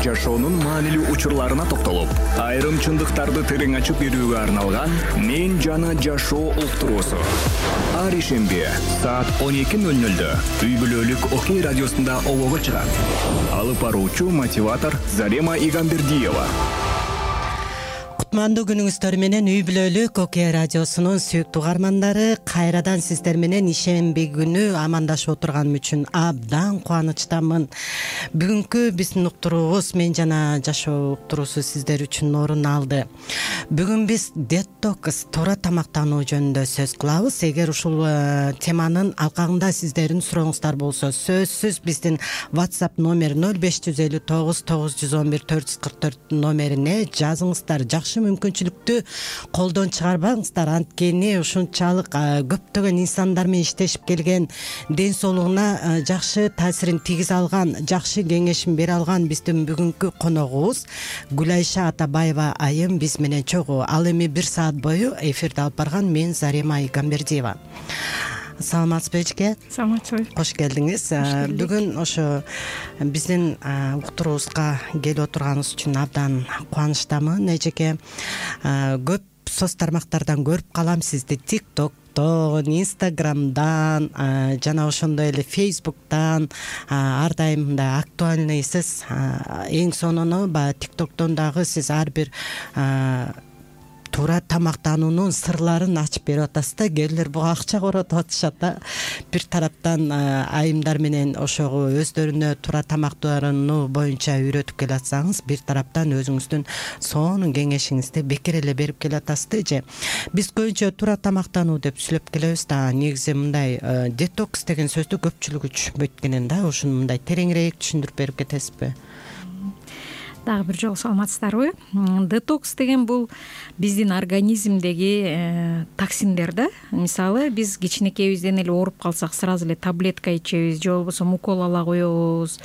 жашоонун маанилүү учурларына токтолуп, айрым чындыктарды терең ачып берүүгө арналган «Мен жана жашоо» уктуруусу. Ар ишемби саат 12:00 үй бүлөлүк Окей радиосунда обого чыгат. Алып баруучу мотиватор Зарема Игамбердиева. Кутмандуу күнүңүздөр менен үй бүлөлүк Окей радиосунун сүйүктүү угармандары, кайрадан сиздер менен ишемби күнү амандашып отурганым үчүн абдан кубанычтамын. Бүгүнкү биздин уктуруубуз «Мен жана жашоо» уктуруусу сиздер үчүн орун алды. Бүгүн биз детокс, туура тамактануу жөнүндө сөз кылабыз. Эгер ушул теманын алкагында сиздердин сурооңуздар болсо, сөзсүз биздин WhatsApp номер 0559 911 444 номерине жазыңыздар. Жакшы мүмкүнчүлүктү колдон чыгарбаңыздар, анткени ушунчалык көптөгөн инсандар менен иштешип келген, ден соолугуна жакшы таасирин тийгизе алган, жакшы кеңешин бере алган биздин бүгүнкү коногубуз Гүлайша Атабаева айым биз менен чогуу. Ал эми 1 саат бою эфирди алып барган мен Зарема Игамбердиева. Саламатсызбы эжеке? Саламатсызбы. Кош келдиңиз. Бүгүн ошо биздин уктуруубузга келип отурганыңыз үчүн абдан кубанычтамын эжеке. Көп соц тармактардан көрүп калам сизди, TikToктон, Instagramдан, жана ошондой эле Facebooktан ар дайым мындай актуальныйсыз. Эң сонуну баягы TikToктон дагы сиз ар бир туура тамактануунун сырларын ачып берип атасыз да. Кээбилер буга акча коротуп атышат да. Бир тараптан айымдар менен ошого өздөрүнө туура тамактануу боюнча үйрөтүп келатсаңыз, бир тараптан өзүңүздүн сонун кеңешиңизди бекер эле берип келатасыз да эже. Биз көбүнчө туура тамактануу деп сүйлөп келебиз да. Негизи мындай детокс деген сөздү көпчүлүк түшүнбөйт экен да. Ушуну мындай тереңирээк түшүндүрүп берип кетесизби? Дагы бир жолу саламатсыздарбы? Детокс деген бул биздин организмдеги токсиндер да. Мисалы, биз кичинекейибизден эле ооруп калсак, сразу эле таблетка ичебиз, же болбосо укол ала коебуз.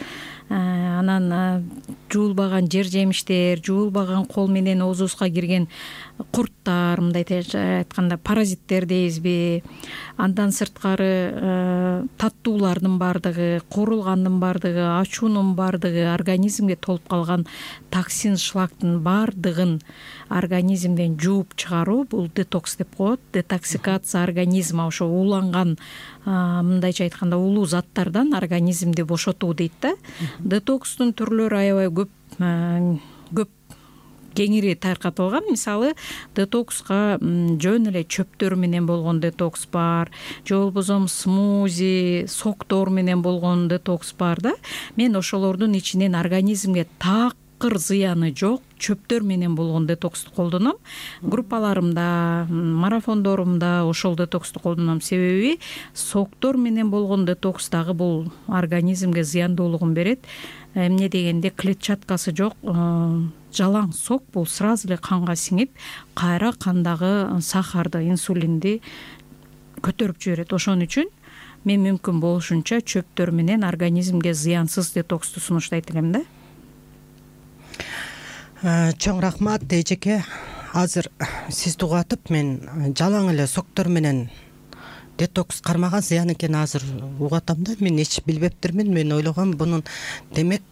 Анан жуулбаган жер жемиштер, жуулбаган кол менен оозубузга кирген курттар, мындай айтканда паразиттер дейбизби, андан сырткары таттуулардын баардыгы, куурулгандын баардыгы, ачуунун баардыгы, организмге толуп калган токсин, шлактын баардыгын организмден жууп чыгаруу бул детокс деп коет. Детоксикация организма, ошо ууланган мындайча айтканда улуу заттардан организмди бошотуу дейт да. Детокстун түрлөрү аябай көп кеңири таркатылган. Мисалы, детокска жөн эле чөптөр менен болгон детокс бар, же болбосо смузи, соктор менен болгон детокс бар да. Мен ошолордун ичинен организмге такыр зыяны жок чөптөр менен болгон детоксту колдоном. Группаларымда, марафондорумда ошол детоксту колдоном. Себеби соктор менен болгон детокс дагы бул организмге зыяндуулугун берет. Эмне дегенде клетчаткасы жок жалаң сок бул сразу эле канга сиңип, кайра кандагы сахарды, инсулинди көтөрүп жиберет. Ошон үчүн мен мүмкүн болушунча чөптөр менен организмге зыянсыз детоксту сунуштайт элем да. Чоң рахмат эжеке. Азыр сизди угатып мен жалаң эле соктор менен детокс кармаган зыян экенин азыр угатам да. Мен эч билбептирмин. Мен ойлогом бунун демек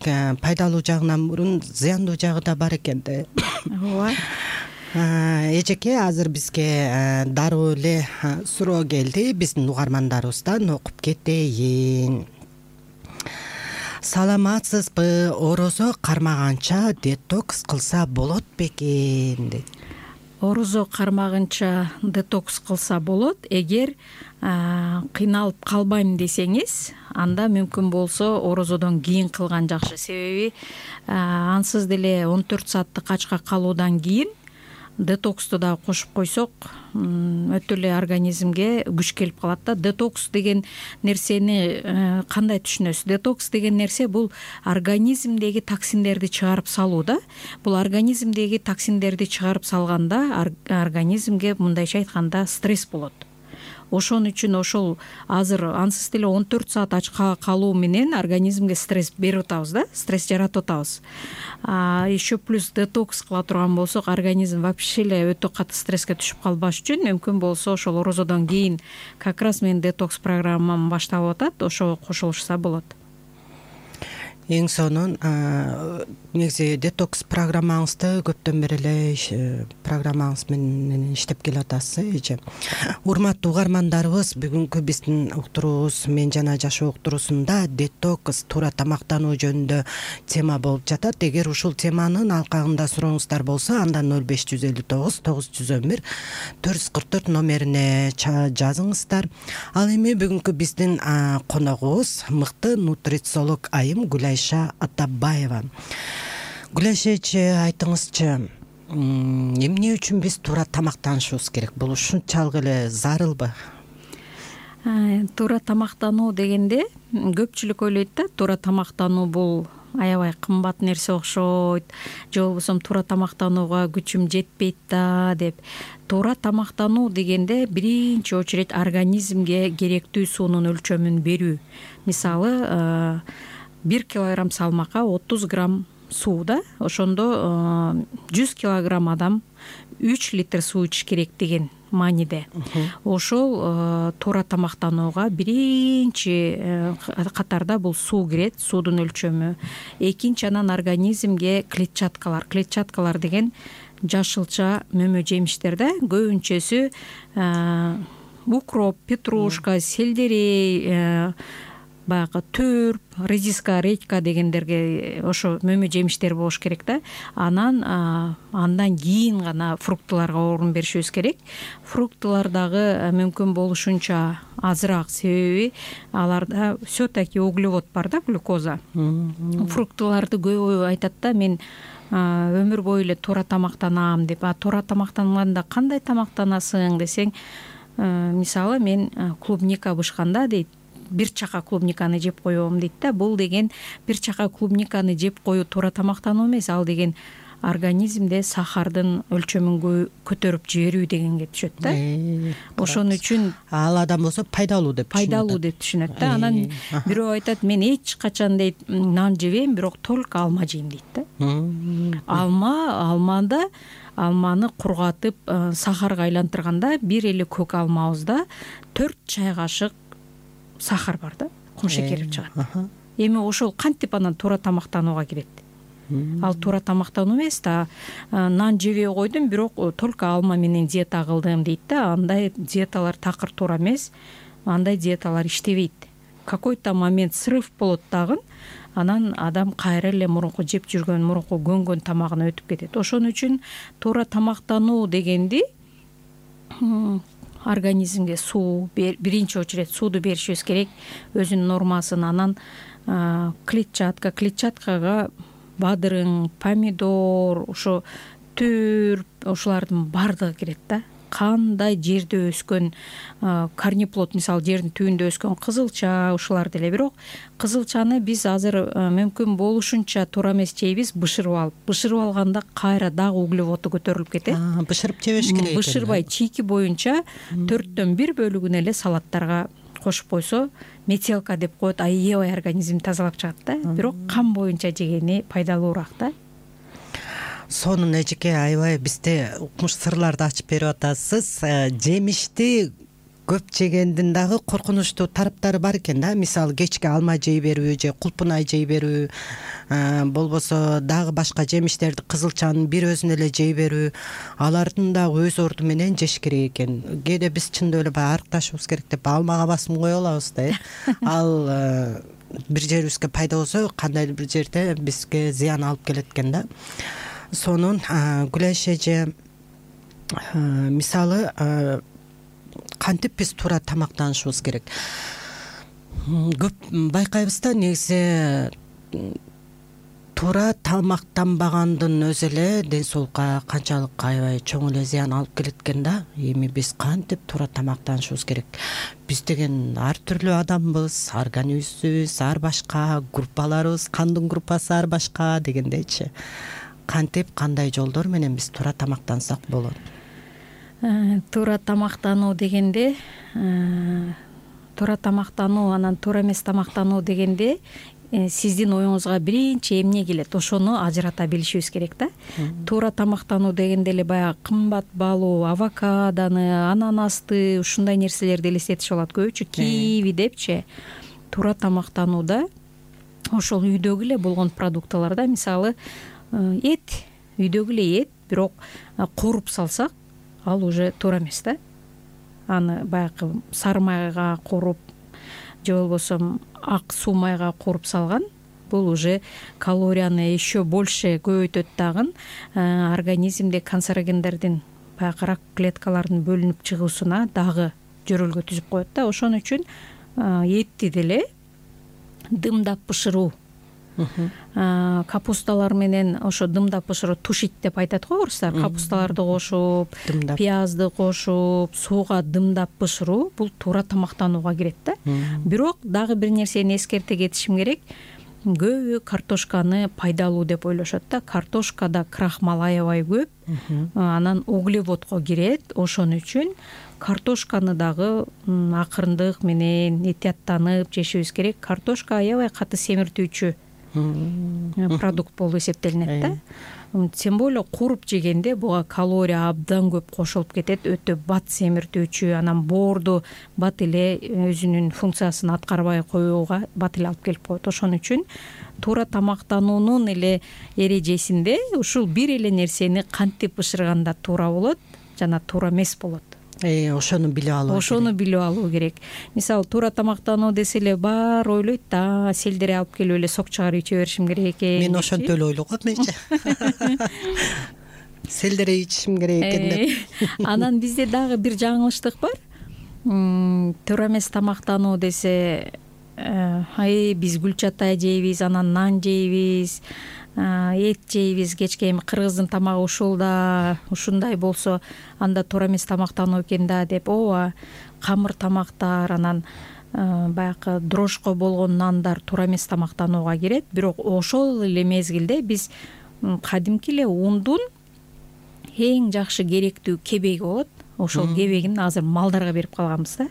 пайдалуу жагынан мурун зыяндуу жагы да бар экен да. Ооба. Эжеке, азыр бизге дароо эле суроо келди биздин угармандарыбыздан, окуп кетейин. Саламатсызбы? Орозо кармаганча детокс кылса болот бекен дейт. Орозо кармагынча детокс кылса болот. Эгер кыйналып калбайм десеңиз, анда мүмкүн болсо орозодон кийин кылган жакшы. Себеби ансыз деле 14 сааттык ачка калуудан кийин детоксту да кошуп койсок, өтө эле организмге күч келип калат да. Детокс деген нерсени кандай түшүнөсүз? Детокс деген нерсе бул организмдеги токсиндерди чыгарып салуу да. Бул организмдеги токсиндерди чыгарып салганда организмге мындайча айтканда стресс болот. Ошон үчүн ошол азыр ансыз деле 14 саат ачка калуу менен организмге стресс берип атабыз да, стресс жаратып атабыз. Еще плюс детокс кыла турган болсок, организм вообще эле өтө катуу стресске түшүп калбаш үчүн мүмкүн болсо ошол орозодон кийин как раз менин детокс программам башталып атат, ошого кошулушса болот. Эң сонун негизи детокс программаңызды көптөн бери эле программаңыз менен иштеп келатасыз эже. Урматтуу угармандарыбыз, бүгүнкү биздин уктуруубуз Мен жана жашоо уктуруусунда детокс, туура тамактануу жөнүндө тема болуп жатат. Эгер ушул теманын алкагында сурооңуздар болсо, андан 0559 911 444 номерине жазыңыздар. Ал эми бүгүнкү биздин коногубуз мыкты нутрициолог айым Гүлайша Атабаева. Гүлайша эже, айтыңызчы, эмне үчүн биз туура тамактанышыбыз керек? Бул ушунчалык эле зарылбы? Туура тамактануу дегенде көпчүлүк ойлойт да, туура тамактануу бул аябай кымбат нерсе окшойт, же болбосо туура тамактанууга күчүм жетпейт да деп. Туура тамактануу дегенде биринчи очередь организмге керектүү суунун өлчөмүн берүү. Мисалы, 1 килограмм салмакка 30 грамм суу да, ошондо 100 килограмм адам 3 литр суу ичиш керек деген мааниде. Ошол туура тамактанууга биринчи катарда бул суу кирет, суудун өлчөмү. Экинчи, анан организмге клетчаткалар деген жашылча мөмө жемиштер да, көбүнчөсү укроп, петрушка, сельдерей, баягы төрп, редиска, редька дегендерге ошо мөмө жемиштер болуш керек да. Андан кийин гана фруктыларга орун беришибиз керек. Фруктылар дагы мүмкүн болушунча азыраак, себеби аларда все-таки углевод бар да, глюкоза. Фруктыларды көбү айтат да, мен өмүр бою эле туура тамактанам деп. Туура тамактанганда кандай тамактанасың десең, мисалы мен клубника бышканда дейт, 1 чака клубниканы жеп коем дейт да. Бул деген 1 чака клубниканы жеп коюу туура тамактануу эмес, ал деген организмде сахардын өлчөмүн көтөрүп жиберүү дегенге түшөт да. Ошон үчүн ал адам болсо пайдалуу деп түшүнөт да. Анан бирөө айтат, мен эч качан дейт нан жебейм, бирок только алма жейм дейт да. Алманы кургатып сахарга айлантырганда, бир эле көк алмабызда 4 чай кашык сахар бар да, кум шекери чыгат. Эми ошол кантип анан туура тамактанууга кирет? Ал туура тамактануу эмес да. Нан жебей койдум, бирок только алма менен диета кылдым дейт да. Андай диеталар такыр туура эмес. Андай диеталар иштебейт. Какой-то момент срыв болот дагы, анан адам кайра эле мурунку жеп жүргөн, мурунку көнгөн тамагына өтүп кетет. Ошон үчүн туура тамактануу дегенди организмге суу, биринчи очередь сууду беришибиз керек, өзүнүн нормасын. Анан клетчаткага бадырың, помидор, ошо төрп, ошолардын бардыгы кирет да. Кандай жерде өскөн корнеплод, мисалы жердин түбүндө өскөн кызылча, ушулар деле. Бирок кызылчаны биз азыр мүмкүн болушунча туура эмес жейбиз, бышырып алганда кайра дагы углеводу көтөрүлүп кетет. Бышырып жебеш керек. Бышырбай чийки боюнча 4төн 1 бөлүгүн эле салаттарга кошуп койсо, метелка деп коет, аябай организм тазалап чыгат да. Бирок кан боюнча жегени пайдалуураак да. Сонун эжеке, аябай бизде укмуш сырларды ачып берип атасыз. Жемишти көп жегендин дагы коркунучтуу тараптары бар экен да. Мисалы, кечке алма жей берүү же кулпунай жей берүү, болбосо дагы башка жемиштерди, кызылчанын бир өзүн эле жей берүү, алардын дагы өз орду менен жеш керек экен. Кээде биз чындап эле баягы арыкташыбыз керек деп алмага басым кое алабыз да. Ал бир жерибизге пайда болсо, кандайдыр бир жерде бизге зыян алып келет экен да. Сонун Гүлайша эже, мисалы, кантип биз туура тамактанышыбыз керек? Көп байкайбыз да, негизи туура тамактанбагандын өзү эле ден соолукка канчалык аябай чоң эле зыян алып келет экен да. Эми биз кантип туура тамактанышыбыз керек? Биз деген ар түрлүү адамбыз, организмибиз ар башка, группаларыбыз, кандын группасы ар башка дегендейчи. Кантип, кандай жолдор менен биз туура тамактансак болот? Туура тамактануу дегенде, туура тамактануу анан туура эмес тамактануу дегенде сиздин оюңузга биринчи эмне келет, ошону ажырата билишибиз керек да. Туура тамактануу дегенде эле баягы кымбат баалуу авокадоны, ананасты, ушундай нерселерди элестетишип алат көбүчө, киви депчи. Туура тамактанууда ошол үйдөгү эле болгон продуктыларда, мисалы эт, үйдөгү эле эт, бирок кууруп салсак ал уже туура эмес да. Аны баягы сары майга кууруп же болбосо ак суу майга кууруп салган, бул уже калорияны еще больше көбөйтөт дагы, организмде канцерогендердин баягы рак клеткаларынын бөлүнүп чыгуусуна дагы жөрөлгө түзүп коет да. Ошон үчүн этти деле дымдап бышыруу, капусталар менен ошо дымдап бышыруу, тушить деп айтат го орустар. Капусталарды кошуп, пиязды кошуп, сууга дымдап бышыруу бул туура тамактанууга кирет да. Бирок дагы бир нерсени эскерте кетишим керек. Көбү картошканы пайдалуу деп ойлошот да. Картошкада крахмал аябай көп, анан углеводго кирет. Ошон үчүн картошканы дагы акырындык менен этияттанып жешибиз керек. Картошка аябай каты семиртүүчү продукт болуп эсептелинет да. Тем более кууруп жегенде буга калория абдан көп кошулуп кетет, өтө бат семиртүүчү, анан боорду бат эле өзүнүн функциясын аткарбай коюуга бат эле алып келип коет. Ошон үчүн туура тамактануунун эле эрежесинде ушул бир эле нерсени кантип бышырганда туура болот жана туура эмес болот. Ошону билип алуу керек. Мисалы туура тамактануу десе эле баары ойлойт да, селдерей алып келип эле сок чыгарып иче беришим керек экен. Мен ошентип эле ойлогом менчи. Селдерей ичишим керек экен деп. Анан бизде дагы бир жаңылыштык бар. Туура эмес тамактануу десе, биз гүл чатай жейбиз, анан нан жейбиз, эт жейбиз, кечке эми кыргыздын тамагы ушул да, ушундай болсо анда туура эмес тамактануу экен да деп. Ооба, камыр тамактар, анан баягы дрожко болгон нандар туура эмес тамактанууга кирет. Бирок ошол эле мезгилде биз кадимки эле ундун эң жакшы керектүү кебеги болот. Ошол кебегин азыр малдарга берип калганбыз да.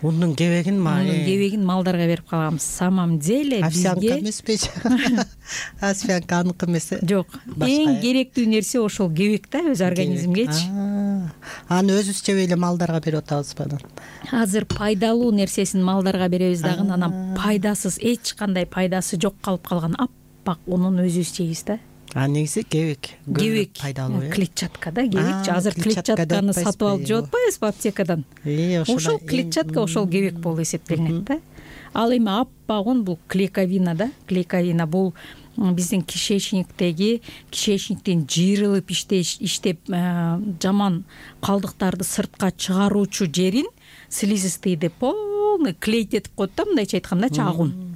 Ундун кебегин малдарга берип калганбыз. Самом деле бизге овсянка эмеспи? Овсянка аныкы эмес. Жок. Эң керектүү нерсе ошол кебек да, өз организмгечи. Аны өзүбүз жебей эле малдарга берип атабызбы анан? Азыр пайдалуу нерсесин малдарга беребиз дагы, анан пайдасыз, эч кандай пайдасы жок калып калган аппак унун өзүбүз жейбиз да. Негизи кебек пайдалуу. Клетчатка да, кебекчи. Азыр клетчатканы сатып алып жеп атпайбызбы аптекадан? Ошол клетчатка, ошол кебек болуп эсептелинет да. Ал эми аппак ун бул клейковина да. Клейковина бул биздин кишечниктин жыйрылып иштеп жаман калдыктарды сыртка чыгаруучу жерин слизистыйды полный клейтетип коет да, мындайча айтканда чагун.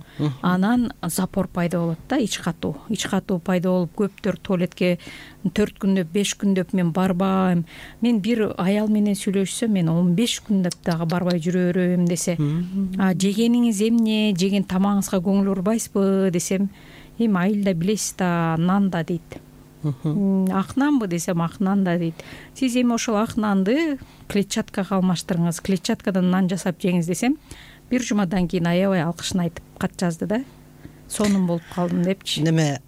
Анан запор пайда болот да, ич катуу пайда болуп, көптөр туалетке 4 күндөп, 5 күндөп мен барбайм. Мен бир аял менен сүйлөшсөм, мен 15 күндөп дагы барбай жүрө берем десе, жегениңиз эмне, жеген тамагыңызга көңүл бурбайсызбы десем, эми айылда билесиз да, нан да дейт. Ак нанбы десем, ак нан да дейт. Сиз эми ошол ак нанды клетчаткага алмаштырыңыз, клетчаткадан нан жасап жеңиз десем, бир жумадан кийин аябай алкышын айтып кат жазды да. Сонун болуп калдым депчи. Неме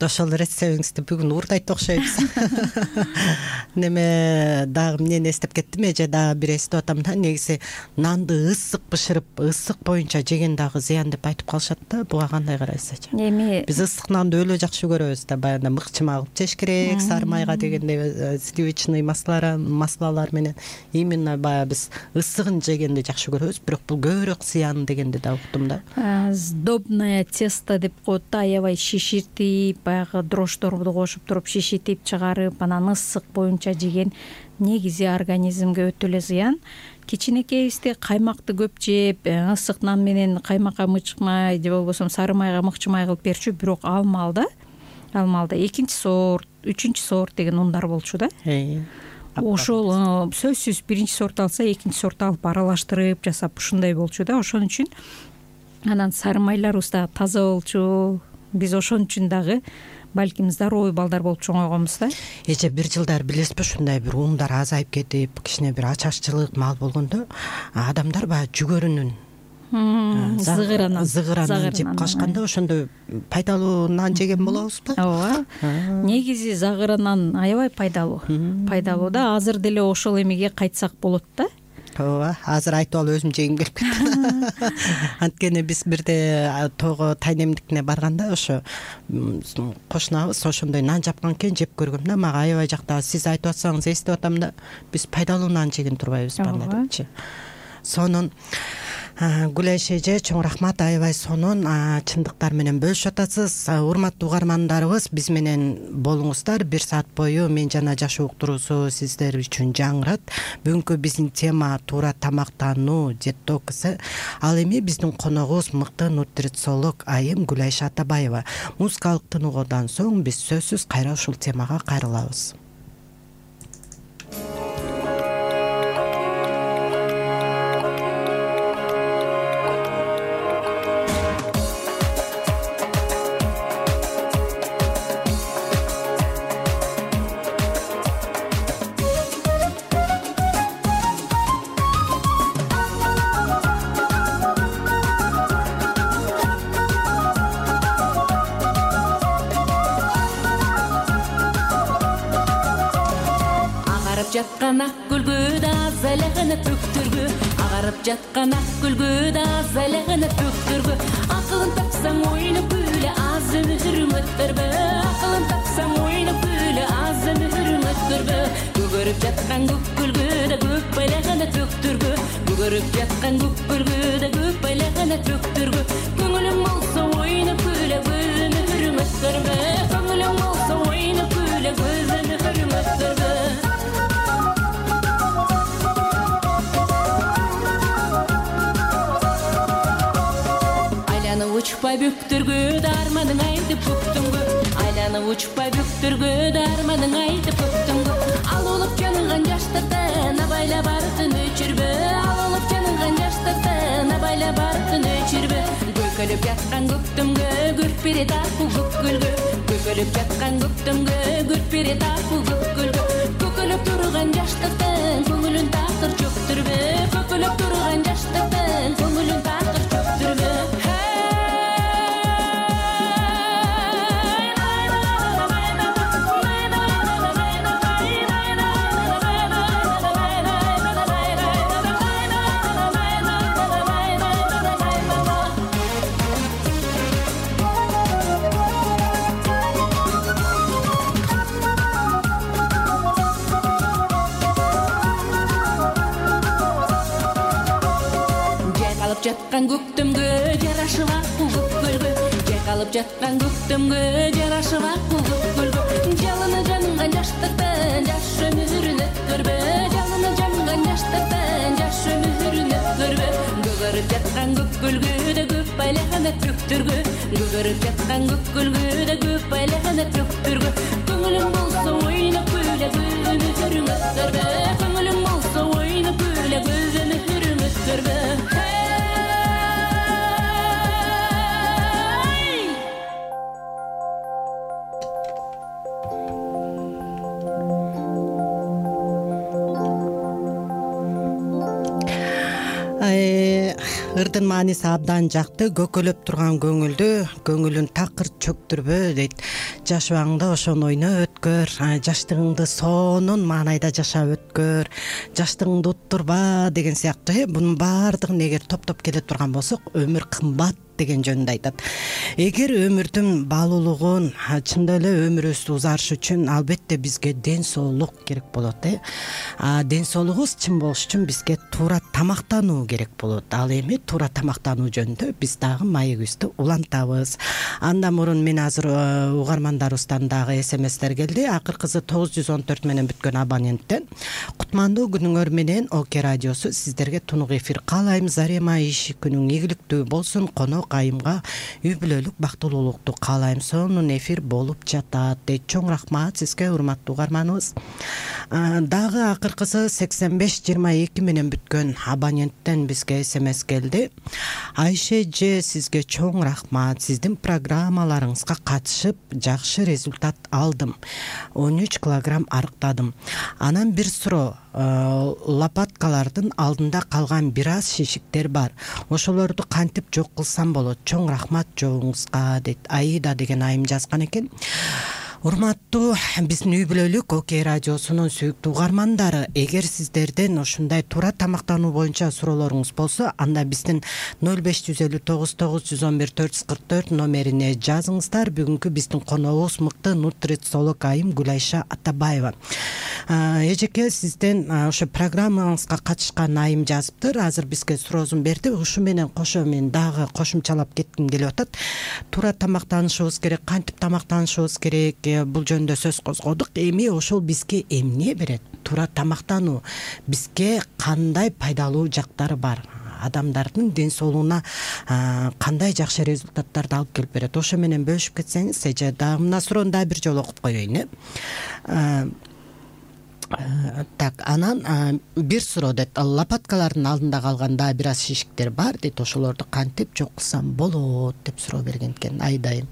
ошол рецептиңизди бүгүн уурдайт окшойбуз. Неме дагы эмнени эстеп кеттим, эже дагы бир эстеп атам да, негизи нанды ысык бышырып, ысык боюнча жеген дагы зыян деп айтып калышат да. Буга кандай карайсыз эже? Эми биз ысык нанды өлө жакшы көрөбүз да, баягы мыкчыма кылып жеш керек, сары майга дегенде сливочный маслалар менен. Именно баягы биз ысыгын жегенди жакшы көрөбүз, бирок бул көбүрөөк зыян дегенди да уктум да. Сдобное тесто деп коет да, аябай шиширтип, баягы дрожждорду кошуп туруп шишитип чыгарып, анан ысык боюнча жеген негизи организмге өтө эле зыян. Кичинекейибизде каймакты көп жеп, ысык нан менен каймакка мычмай же болбосо сары майга мыкчымай кылып берчү, бирок ал маалда экинчи сорт, үчүнчү сорт деген ундар болчу да. Ошол сөзсүз биринчи сорт алса, экинчи сорт алып аралаштырып жасап ушундай болчу да. Ошон үчүн анан сары майларыбыз дагы таза болчу. Биз ошон үчүн дагы балким здоровый балдар болуп чоңойгонбуз да. Эже бир жылдар билесизби, ушундай бир ундар азайып кетип, кичине бир ачарчылык мал болгондо адамдар баягы жүгөрүнүн зыгыранын жеп калышканда, ошондо пайдалуу нан жеген болобузбу? Ооба. Негизи зыгыра нан аябай пайдалуу да. Азыр деле ошол эмеге кайтсак болот да. ооба, азыр айтып алып өзүм жегим келип кетти. Анткени биз бирде тоого тайнемдикине барганда ошо кошунабыз ошондой нан жапкан экен, жеп көргөм да, мага аябай жакты. Сиз айтып атсаңыз эстеп атам да, биз пайдалуу нан жеген турбайбыз бана депчи. Сонун Гүлай эже, чоң рахмат, аябай сонун чындыктар менен бөлүшүп атасыз. Урматтуу угармандарыбыз, биз менен болуңуздар. 1 саат бою Мен жана жашоо уктуруусу сиздер үчүн жаңырат. Бүгүнкү биздин тема туура тамактануу, детокс. Ал эми биздин коногубуз мыкты нутрициолог айым Гүлай Атабаева. Музыкалык тыныгуудан соң биз сөзсүз кайра ушул темага кайрылабыз. Жаткан ак гүлгү да залегана төктүргү, агарып жаткан ак гүлгү да залегана төктүргү. Акылын тапсаң ойноп күлө, аз өмүрүң өткөрбө. Акылын тапсаң ойноп күлө, аз өмүрүң өткөрбө. Көгөрүп жаткан көк гүлгү да көп байлегана төктүргү. Көгөрүп жаткан көк гүлгү да көп байлегана төктүргү. Көңүлүң болсо ойноп күлө, көз өмүрүң өткөрбө. Көңүлүң болсо ойноп күлө, көз өмүрүң өткөрбө. Учпай бүктүргү дарманың айтып көктүңгү, айланып учпай бүктүргү дарманың айтып көктүңгү. Ал улуп жаныган жаштардан абайла бардын өчүрбө. Ал улуп жаныган жаштардан абайла бардын өчүрбө. Көкөлүп жаткан көктөмгө күрпире тарпу көккөлгө. Көкөлүп жаткан көктөмгө күрпире тарпу көккөлгө. Көкөлүп турган жаштардан көңүлүн тартыр чөктүрбө. Көкөлүп турган жаштардан көңүлүн тартыр чөктүрбө. Жаткан көктөмгө жарашып акыл көккөлгө. Жайкалып жаткан көктөмгө жарашып акыл көккөлгө. Жалыны жанган жаштардан жаш өмүрүн өткөрбө. Жалыны жанган жаштардан жаш өмүрүн өткөрбө. Көгөрүп жаткан көккөлгө да көп байлегана төктүргү. Көгөрүп жаткан көккөлгө да көп байлегана төктүргү. Көңүлүң болсо ойноп күлө, көз өмүрүң өткөрбө. Көңүлүң болсо ойноп күлө, көз өмүрүң өткөрбө. Ырдын мааниси абдан жакты. Көкөлөп турган көңүлдү көңүлүн такыр чөктүрбө дейт. Жашооңдо ошону ойноп өткөр, жаштыгыңды сонун маанайда жашап өткөр, жаштыгыңды уттурба деген сыяктуу. Бунун баардыгын эгер топтоп келе турган болсок, өмүр кымбат деген жөнүндө айтат. Эгер өмүрдүн баалуулугун, чындап эле өмүрүбүз узарышы үчүн албетте бизге ден соолук керек болот. Ден соолугубуз чын болуш үчүн бизге туура тамактануу керек болот. Ал эми туура тамактануу жөнүндө биз дагы маегибизди улантабыз. Андан мурун мен азыр угармандарыбыздан дагы СМСтер келди. Акыркысы 914 менен бүткөн абоненттен. Кутмандуу күнүңөр менен ОК радиосу сиздерге тунук эфир каалайм. Зарема иш күнүң ийгиликтүү болсун. Конок айымга үй бүлөлүк бактылуулукту каалайм. Сонун эфир болуп жатат дейт. Чоң рахмат сизге, урматтуу угарманыбыз. Дагы акыркысы 8522 менен бүткөн абоненттен бизге СМС келди. Айше же сизге чоң рахмат. Сиздин программаларыңызга катышып жакшы результат алдым. 13 килограмм арыктадым. Анан бир суроо. Лопаткалардын алдында калган бир аз шишиктер бар. Ошолорду кантип жок кылсам болот? Чоң рахмат жоогуңузга дейт. Аида деген айым жазган экен. Урматтуу биздин үй бүлөлүк Окей радиосунун сүйүктүү угармандары, эгер сиздерден ушундай туура тамактануу боюнча суроолоруңуз болсо, анда биздин 0559910444 номерине жазыңыздар. Бүгүнкү биздин коногубуз мыкты нутрициолог айым Гүлайша Атабаева. Эжеке, сизден ошо программаңызга катышкан айым жазыптыр. Азыр бизге суроосун берди. Ушу менен кошо мен дагы кошумчалап кетким келип атат. Туура тамактанышыбыз керек, кантип тамактанышыбыз керек, бул жөнүндө сөз козгодук. Эми ошол бизге эмне берет? Туура тамактануу бизге кандай пайдалуу жактары бар? Адамдардын ден соолугуна кандай жакшы результаттарды алып келип берет? Ошо менен бөлүшүп кетсеңиз, эже. Дагы мына суроону дагы бир жолу окуп коеюн. Так, анан бир суроо дейт. Лопаткалардын алдында калган дагы бир аз шишиктер бар дейт. Ошолорду кантип жок кылсам болот деп суроо берген экен айдайым.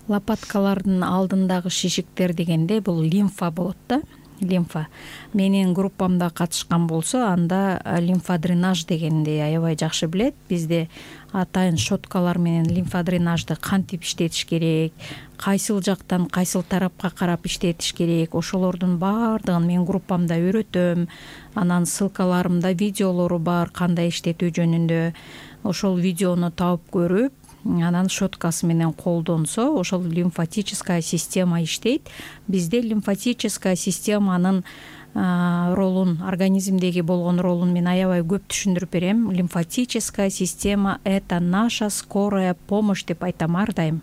Лопаткалардын алдындагы шишиктер дегенде бул лимфа болот да. Лимфа. Менин группамда катышкан болсо, анда лимфодренаж дегенди аябай жакшы билет. Бизде атайын щеткалар менен лимфодренажды кантип иштетиш керек, кайсыл жактан кайсыл тарапка карап иштетиш керек, ошолордун баардыгын мен группамда үйрөтөм. Анан ссылкаларымда видеолору бар кандай иштетүү жөнүндө. Ошол видеону таап көрүп, анан щеткасы менен колдонсо, ошол лимфатическая система иштейт. Бизде лимфатическая системанын ролун, организмдеги болгон ролун мен аябай көп түшүндүрүп берем. Лимфатическая система — это наша скорая помощь деп айтам ар дайым.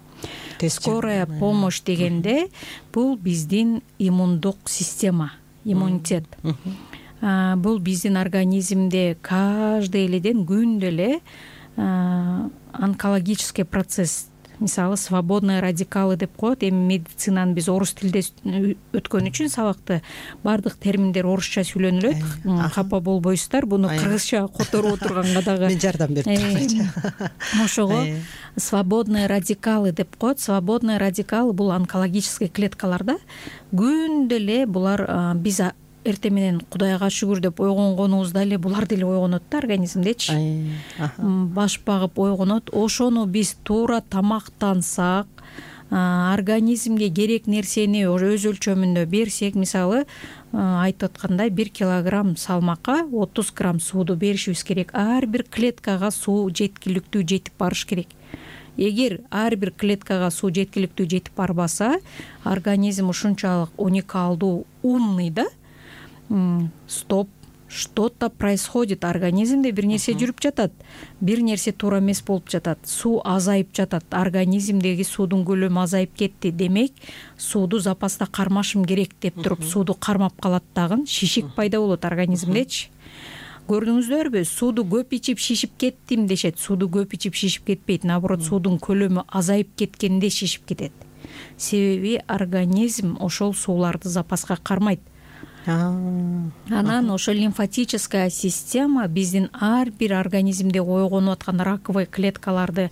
Скорая помощь дегенде бул биздин иммундук система, иммунитет. Бул биздин организмде каждый эледен күндө эле онкологический процесс, мисалы свободные радикалы деп коет. Эми медицинаны биз орус тилде өткөн үчүн сабакты баардык терминдер орусча сүйлөнүлөт. Капа болбойсуздар. Буну кыргызча которуп отурганга дагы мен жардам берип тургачы. Ошого свободные радикалы деп коет. Свободные радикалы бул онкологический клеткаларда. Күндө эле булар биз эртең менен Кудайга шүгүр деп ойгонгонубузда эле булар деле ойгонот да организмдечи. Баш багып ойгонот. Ошону биз туура тамактансак, организмге керек нерсени өз өлчөмүндө берсек, мисалы айтып аткандай 1 килограмм салмакка 30 грамм сууду беришибиз керек. Ар бир клеткага суу жеткиликтүү жетип барыш керек. Эгер ар бир клеткага суу жеткиликтүү жетип барбаса, организм ушунчалык уникалдуу, умный да. Стоп, что-то происходит, организмде бир нерсе жүрүп жатат, бир нерсе туура эмес болуп жатат, суу азайып жатат, организмдеги суудун көлөмү азайып кетти, демек сууду запаста кармашым керек деп туруп сууду кармап калат дагы, шишик пайда болот организмдечи. Көрдүңүздөрбү, сууду көп ичип шишип кеттим дешет. Сууду көп ичип шишип кетпейт, наоборот суудун көлөмү азайып кеткенде шишип кетет. Себеби организм ошол сууларды запаска кармайт. Анан ошо лимфатическая система биздин ар бир организмде ойгонуп аткан раковый клеткаларды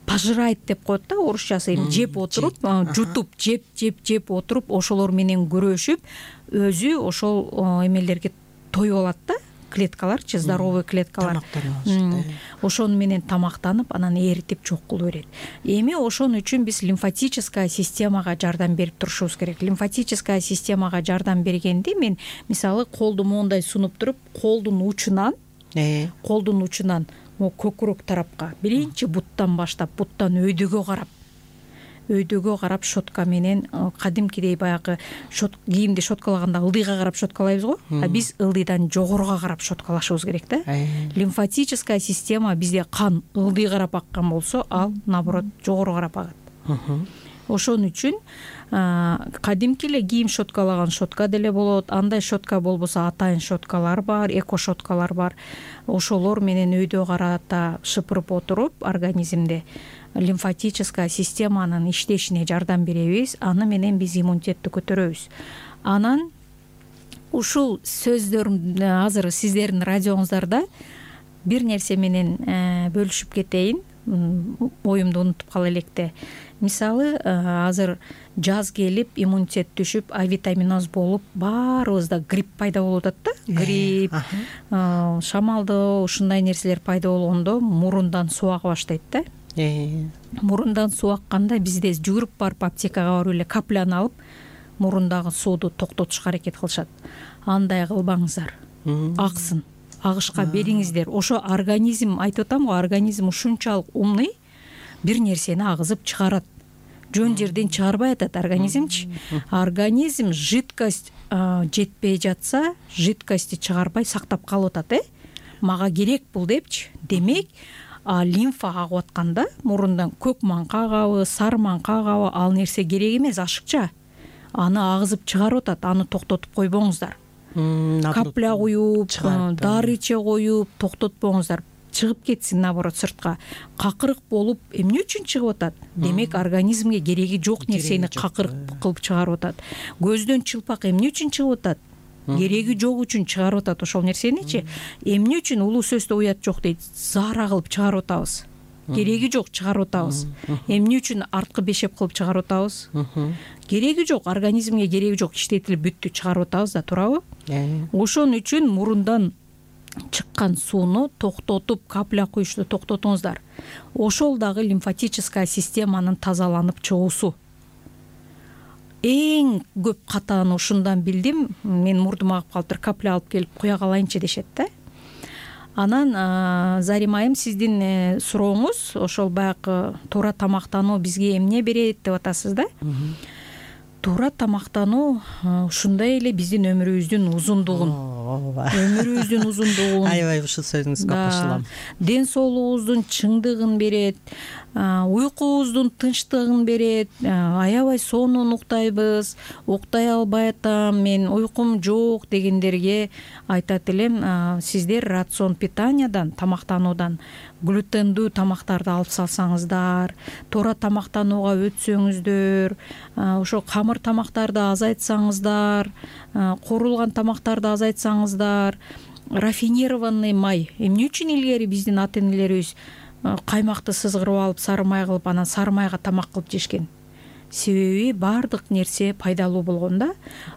пожирает деп коет да, орусчасы. Жеп отуруп, жутуп, жеп отуруп, ошолор менен күрөшүп, өзү ошол эмелерге тоюп алат да. Клеткаларчы, здоровый клеткалар. Ошону менен тамактанып, анан эритип жок кылып берет. Эми ошон үчүн биз лимфатическая системага жардам берип турушубуз керек. Лимфатическая системага жардам бергенде мен мисалы колду моундай сунуп туруп, колдун учунан көкүрөк тарапка, биринчи буттан баштап, буттан өйдөгө карап щетка менен кадимкидей баягы кийимди щеткалаганда ылдыйга карап щеткалайбыз го, а биз ылдыйдан жогоруга карап щеткалашыбыз керек да. Лимфатическая система бизде кан ылдый карап аккан болсо, ал наоборот жогору карап агат. Ошон үчүн кадимки эле кийим щеткалаган щетка деле болот. Андай щетка болбосо атайын щеткалар бар, эко щеткалар бар. Ошолор менен өйдө карата шыпырып отуруп организмде лимфатическая системанын иштешине жардам беребиз. Аны менен биз иммунитетти көтөрөбүз. Анан ушул сөздөрүм азыр сиздердин радиоңуздарда бир нерсе менен бөлүшүп кетейин. Оюмду унутуп кала электе. Мисалы, азыр жаз келип, иммунитет түшүп, авитаминоз болуп, баарыбызда грипп пайда болуп атат да. Грипп, шамалдоо, ушундай нерселер пайда болгондо мурундан суу ага баштайт да. мурундан суу акканда бизде жүгүрүп барып аптекага барып эле капляны алып мурундагы сууду токтотушка аракет кылышат. Андай кылбаңыздар. Аксын, агышка бериңиздер. Ошо организм, айтып атам го, организм ушунчалык умный, бир нерсени агызып чыгарат. Жөн жерден чыгарбай атат организмчи. Организм жидкость жетпей жатса, жидкостти чыгарбай сактап калып атат, мага керек бул депчи. Демек, лимфа агып атканда мурундан көк маңка агабы, сары маңка агабы, ал нерсе керек эмес, ашыкча. Аны агызып чыгарып атат, аны токтотуп койбоңуздар. Капля куюп, дары иче коюп токтотпоңуздар. Чыгып кетсин, наоборот, сыртка. Какырык болуп эмне үчүн чыгып атат? Демек, организмге кереги жок нерсени какырык кылып чыгарып атат. Көздөн чылпак эмне үчүн чыгып атат? Кереги жок үчүн чыгарып атат ошол нерсеничи. Эмне үчүн улуу сөздө уят жок дейт? Заара кылып чыгарып атабыз. Кереги жок чыгарып атабыз. Эмне үчүн арткы бешеп кылып чыгарып атабыз? Кереги жок, организмге кереги жок, иштетилип бүттү, чыгарып атабыз да, туурабы? Ошон үчүн мурундан чыккан сууну токтотуп, капля куюшту токтотуңуздар. Ошол дагы лимфатическая системанын тазаланып чыгуусу. Эң көп катааны ушундан билдим. Мен мурдум агып калыптыр, капля алып келип куя калайынчы дешет да. Анан Зарим айым, сиздин сурооңуз ошол баягы туура тамактануу бизге эмне берет деп атасыз да. Туура тамактануу ушундай эле биздин өмүрүбүздүн узундугун, аябай ушул сөзүңүзгө кошулам. Ден соолугубуздун чыңдыгын берет, уйкубуздун тынчтыгын берет. Аябай сонун уктайбыз, уктай албай атам, мен уйкум жок дегендерге айтат элем, сиздер рацион питаниядан, тамактануудан глютендүү тамактарды алып салсаңыздар, туура тамактанууга өтсөңүздөр, ошо камыр тамактарды азайтсаңыздар, куурулган тамактарды азайтсаңыздар, рафинированный май. Эмне үчүн илгери биздин ата энелерибиз каймакты сызгырып алып, сары май кылып, анан сары майга тамак кылып жешкен? Себеби бардык нерсе пайдалуу болгон да.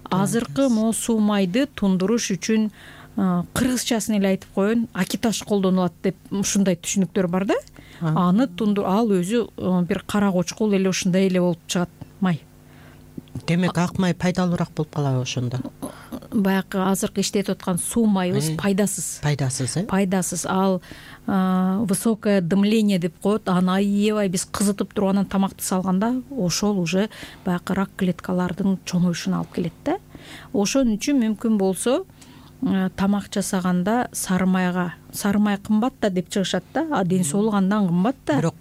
Азыркы могу суу майды тундуруш үчүн кыргызчасын эле айтып коеюн, акиташ колдонулат деп ушундай түшүнүктөр бар да. Аны ал өзү бир кара кочкул эле ушундай эле болуп чыгат май. Демек, ак май пайдалуураак болуп калабы ошондо? Баягы азыркы иштетип аткан суу майыбыз пайдасыз. Пайдасыз. Ал высокое дымление деп коет. Аны аябай биз кызытып туруп анан тамакты салганда, ошол уже баягы рак клеткалардын чоңоюшуна алып келет да. Ошон үчүн мүмкүн болсо тамак жасаганда сары май кымбат да деп чыгышат да. Ден соолук андан кымбат да. Бирок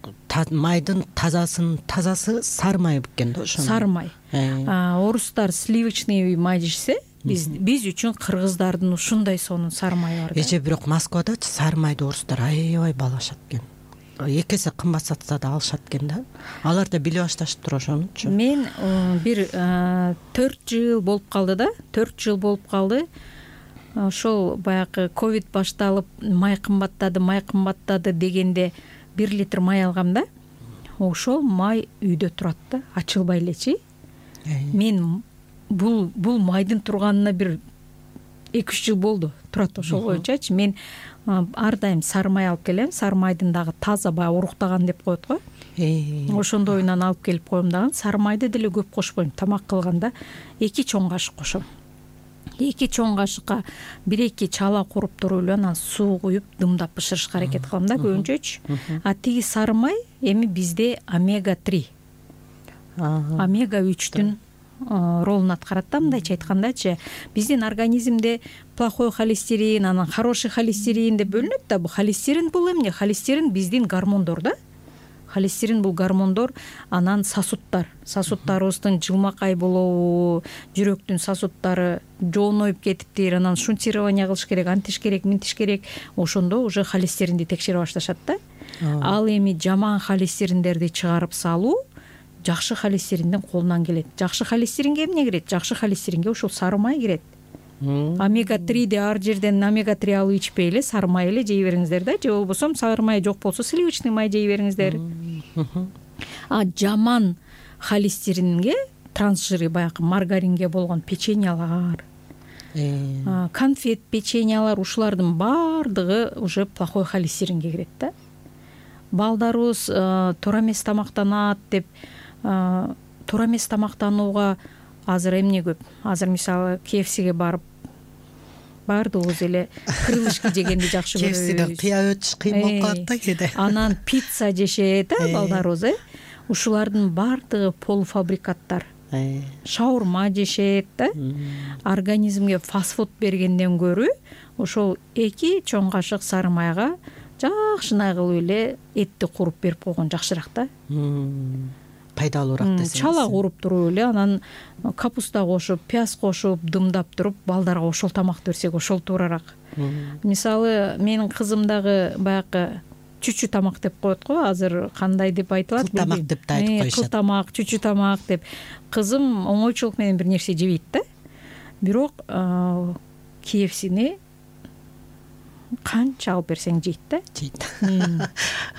майдын тазасы сары май бекен да ошо. Сары май. Орустар сливочный май жешсе, биз үчүн кыргыздардын ушундай сонун сары май бар да. Эже бирок Москвадачы сары майды орустар аябай баалашат экен. 2 эсе кымбат сатса да алышат экен да. Алар да биле башташыптыр ошонучу. Мен бир 4 жыл болуп калды да. 4 жыл болуп калды. Ошол баягы ковид башталып, май кымбаттады дегенде 1 литр май алгам да. Ошол май үйдө турат да, ачылбай элечи. Мен бул майдын турганына бир 2-3 жыл болду. Турат ошол боюнчачы. Мен ар дайым сары май алып келем. Сары майдын дагы таза баягы уруктаган деп коет го. Ошондойунан алып келип коем дагы. Сары майды деле көп кошпойм. Тамак кылганда 2 чоң кашык кошом. 2 чоң кашыкка 1-2 чала куруп туруп эле анан суу куюп дымдап бышырышка аракет кылам да көбүнчөчү. Тиги сары май эми бизде омега 3. Омега 3-түн ролун аткарат да, мындайча айткандачы. Биздин организмде плохой холестерин, анан хороший холестерин деп бөлүнөт да. Бул холестерин бул эмне? Холестерин биздин гормондор да. Холестерин бул гормондор, анан сосудтарыбыздын жылмакай болобу, жүрөктүн сосудтары жооноюп кетиптир, анан шунтирование кылыш керек, антиш керек, минтиш керек. Ошондо уже холестеринди текшере башташат да. Ал эми жаман холестериндерди чыгарып салуу жакшы холестериндин колунан келет. Жакшы холестеринге эмне кирет? Жакшы холестеринге ушул сары май кирет. Омега 3 ар жерден омега 3 алып ичпей эле сары май эле жей бериңиздер да. Же болбосо сары май жок болсо сливочный май жей бериңиздер. Жаман холестеринге, трансжиры баягы маргаринге болгон печеньялар, конфет, печеньялар, ушулардын баардыгы уже плохой холестеринге кирет да. балдарыбыз туура эмес тамактанат деп туура эмес тамактанууга азыр эмне көп. Азыр мисалы KFCге барып баардыгыбыз эле крылышки жегенди жакшы көрөбүз. KFCден кыя өтүш кыйын болуп калат да кээде. Анан пицца жешет балдарыбыз. Ушулардын баардыгы полуфабрикаттар. Шаурма жешет да. Организмге фастфуд бергенден көрү ошол 2 чоң кашык сары майга жакшынай кылып эле этти куруп берип койгон жакшыраак да. Пайдалуураак десеңиз. Чала куруп туруп эле анан капуста кошуп, пияз кошуп, дымдап туруп балдарга ошол тамакты берсек ошол туурараак. Мисалы менин кызым дагы баягы чүчү тамак деп коет го, азыр кандай деп айтылат? Кыл тамак деп да айтып коюшат. Кыл тамак, чүчү тамак деп. Кызым оңойчулук менен бир нерсе жебейт да. Бирок KFCни канча алып берсең жейт да. Жейт.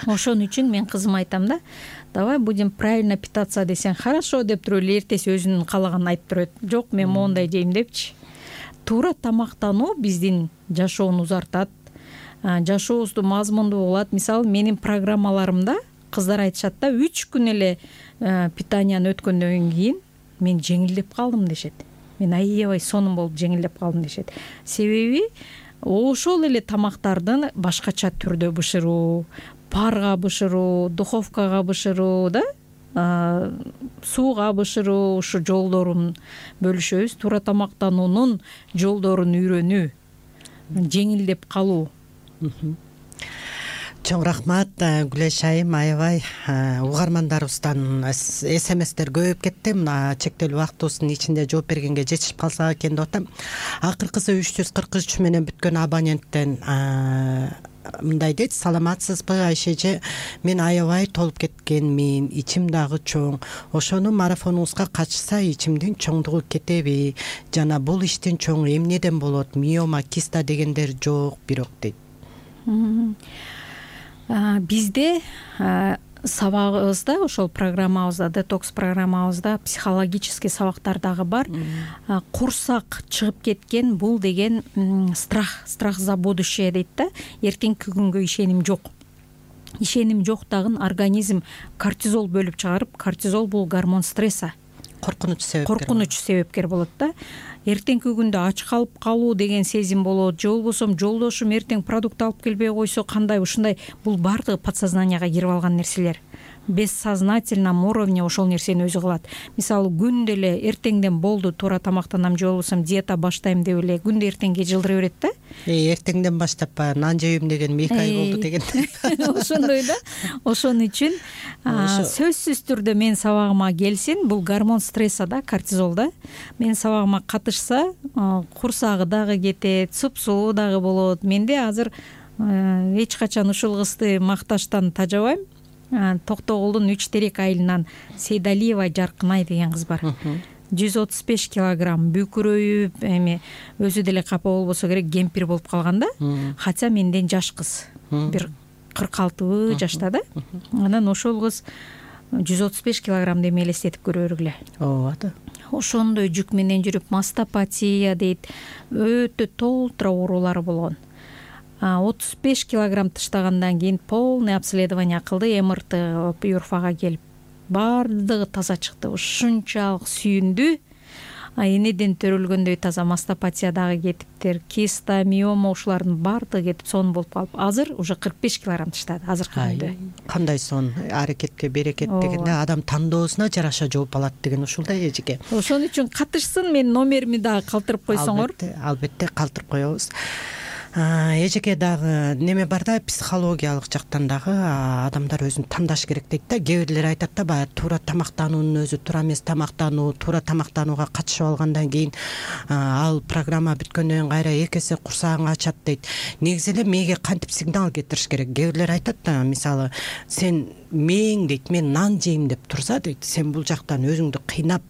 Ошон үчүн мен кызыма айтам да, давай будем правильно питаться десең хорошо деп туруп эле эртеси өзүнүн каалаганын айтып турат. Жок, мен моундай жейм депчи. Туура тамактануу биздин жашоону узартат, жашообузду мазмундуу кылат. Мисалы менин программаларымда кыздар айтышат да, 3 күн эле питанияны өткөндөн кийин мен жеңилдеп калдым дешет. Мен аябай сонун болуп жеңилдеп калдым дешет. Себеби ошол эле тамактарды башкача түрдө бышыруу, парга бышыруу, духовкага бышыруу да, сууга бышыруу, ушу жолдорун бөлүшөбүз. Туура тамактануунун жолдорун үйрөнүү, жеңилдеп калуу. Чоң рахмат Гүлеш айым, аябай угармандарыбыздан СМСтер көбөйүп кетти. Мына чектелүү убактыбыздын ичинде жооп бергенге жетишип калсак экен деп атам. Акыркысы 343 менен бүткөн абоненттен мындай дейт: саламатсызбы Айшеже, мен аябай толуп кеткенмин, ичим дагы чоң. Ошону марафонуңузга катышса ичимдин чоңдугу кетеби? Жана бул иштин чоңу эмнеден болот? Миома, киста дегендер жок бирок дейт. Бизде сабагыбызда, ошол программабызда, детокс программабызда психологический сабактар дагы бар. Курсак чыгып кеткен бул деген страх за будущее дейт да. Эртеңки күнгө ишеним жок. Ишеним жоктагын организм кортизол бөлүп чыгарып, кортизол бул гормон стресса. Коркунуч себепкер болот да. Эртеңки күндө ач калып калуу деген сезим болот, же болбосо жолдошум эртең продукт алып келбей койсо кандай, ушундай. Бул баардыгы подсознанияга кирип алган нерселер. Бессознательном уровне ошол нерсени өзү кылат. Мисалы күндө эле эртеңден болду туура тамактанам, же болбосо диета баштайм деп эле күндө эртеңге жылдыра берет да. Эртеңден баштап нан жейм деген 2 ай болду деген. Ошондой да. Ошон үчүн сөзсүз түрдө мен сабагыма келсин, бул гормон стресса да, кортизол да. Мен сабагыма катышса, курсагы дагы кетет, супсулуу дагы болот. Менде азыр эч качан ушул кызды макташтан тажабайм. Токтогулдун 3 терек айылынан Сейдалиева Жаркынай деген кыз бар. 135 килограмм бүкүрөйүп, эми өзү деле капа болбосо керек, кемпир болуп калган да. Хотя менден жаш кыз. Бир 46 жашта да. Анан ошол кыз 135 килограмм деп элестетип көрө бергиле. Ооба да. Ошондой жүк менен жүрүп мастопатия дейт, өтө толтура оорулары болгон. 35 килограмм таштагандан кийин полный обследование кылды, МРТ юрфага келип баардыгы таза чыкты. Ушунчалык сүйүндү. Энеден төрөлгөндөй таза, мастопатия дагы кетиптир, киста, миома ушулардын баардыгы кетип сонун болуп калып, азыр уже 45 килограмм таштады азыркы күндө. Кандай сон, аракетке берекет дегенде адам тандоосуна жараша жооп алат деген ушулдай эжеке. Ошон үчүн катышсын, мен номерими дагы калтырып койсоңор. Албетте калтырып коебуз. Эжеке дагы неме бар да, психологиялык жактан дагы адамдар өзүн тандаш керек дейт да. Кээ бирлер айтат да, баягы туура тамактануунун өзү туура эмес тамактануу, туура тамактанууга катышып алгандан кийин ал программа бүткөндөн кийин кайра 2 эсе курсагың ачат дейт. Негизи эле мээге кантип сигнал кетириш керек? Кээ бирлер айтат да, мисалы сен мээң дейт, мен нан жейм деп турса дейт, сен бул жактан өзүңдү кыйнап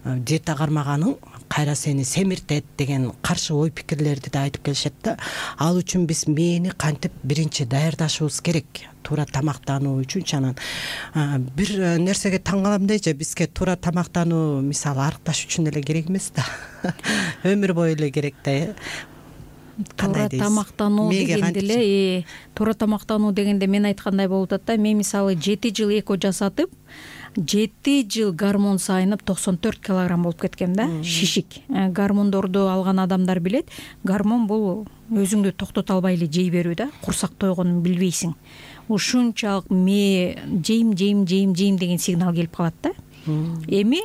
диета кармаганың кайра сени семиртет деген каршы ой пикирлерди да айтып келишет да. Ал үчүн биз мээни кантип биринчи даярдашыбыз керек туура тамактануу үчүнчү. Анан бир нерсеге таң калам дейчи, бизге туура тамактануу мисалы арыкташ үчүн эле керек эмес да. Өмүр бою эле керек да. туура тамактануу дегенде эле туура тамактануу дегенде мен айткандай болуп атат да. Мен мисалы 7 жыл эко жасатып 7 жыл гормон сайынып 94 килограмм болуп кеткем да, шишик. Гормондорду алган адамдар билет, гормон бул өзүңдү токтото албай эле жей берүү да, курсак тойгонун билбейсиң. Ушунчалык жейм деген сигнал келип калат да. Эми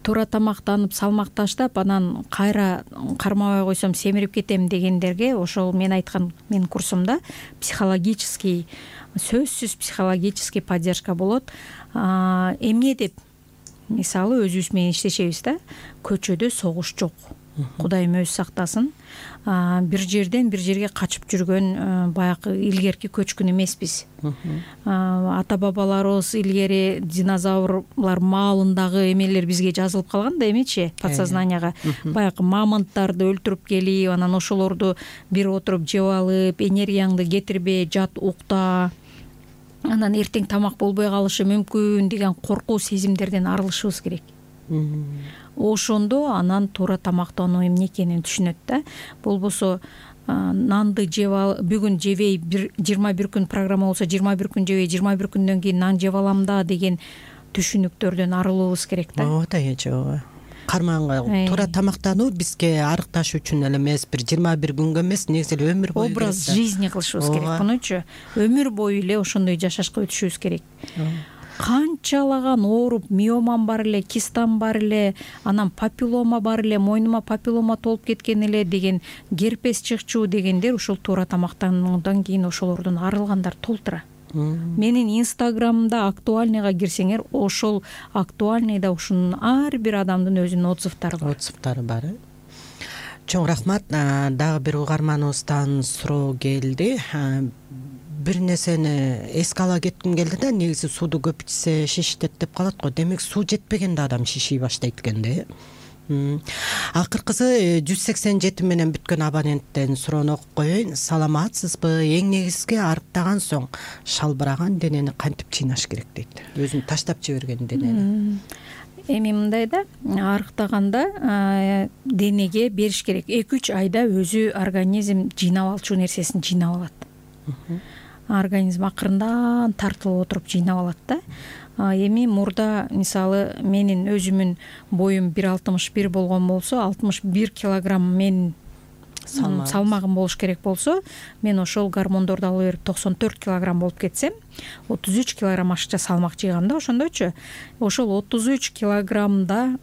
туура тамактанып, салмак таштап, анан кайра кармабай койсом семирип кетем дегендерге ошол мен айткан менин курсумда психологический, сөзсүз психологический поддержка болот. Эмне деп, мисалы өзүбүз менен иштешебиз да, көчөдө согуш жок. Кудайым өзү сактасын. Бир жерден бир жерге качып жүргөн баягы илгерки көчкүн эмеспиз. Ата бабаларыбыз илгери динозаврлар маалындагы эмелер бизге жазылып калган да, эмечи, подсознанияга. Баягы мамонттарды өлтүрүп келип, анан ошолорду бир отуруп жеп алып, энергияңды кетирбе, жат укта, анан эртең тамак болбой калышы мүмкүн деген коркуу сезимдерден арылышыбыз керек. Ошондо анан туура тамактануу эмне экенин түшүнөт да. Болбосо нанды жеп ал, бүгүн жебей, 21 күн программа болсо 21 күн жебей, 21 күндөн кийин нан жеп алам да деген түшүнүктөрдөн арылуубуз керек да. Ооба, жок. Карманга туура тамактануу бизге арыкташ үчүн эле эмес, бир 21 күнгө эмес, негизи эле өмүр бою образ жизни кылышыбыз керек. Мунучу өмүр бою эле ошондой жашашка өтүшүбүз керек. Канчалаган ооруп, миомам бар эле, кистам бар эле, анан папиллома бар эле, мойнума папиллома толуп кеткен эле деген, герпес чыкчу дегендер ушул туура тамактануудан кийин ошолордон арылгандар толтура. Менин инстаграмда актуальныйга кирсеңер, ошол актуальныйда ушунун ар бир адамдын өзүнүн отзывдары бар. Чоң рахмат. Дагы бир угарманыбыздан суроо келди. Бир нерсени эске ала кетким келди да, негизи сууду көп ичсе шишитет деп калат го. Демек суу жетпегенде адам шиший баштайт экен да. Акыркысы 187 менен бүткөн абоненттен суроону окуп коеюн. Саламатсызбы? Эң негизги арыктаган соң шалбыраган денени кантип чыйнаш керек дейт. Өзүн таштап жиберген денени. Эми мындай да, арыктаганда денеге бериш керек. 2-3 айда өзү организм жыйнап алчу нерсесин жыйнап алат. Организм акырындан тартылып отуруп жыйнап алат да. Эми мурда мисалы менин өзүмүн боюм 1,61 болгон болсо, 61 килограмм мен салмагым болуш керек болсо, мен ошол гормондорду алып берип 94 килограмм болуп кетсем, 33 килограмм ашыкча салмак жыйгам да ошондойчу. Ошол 33 килограммда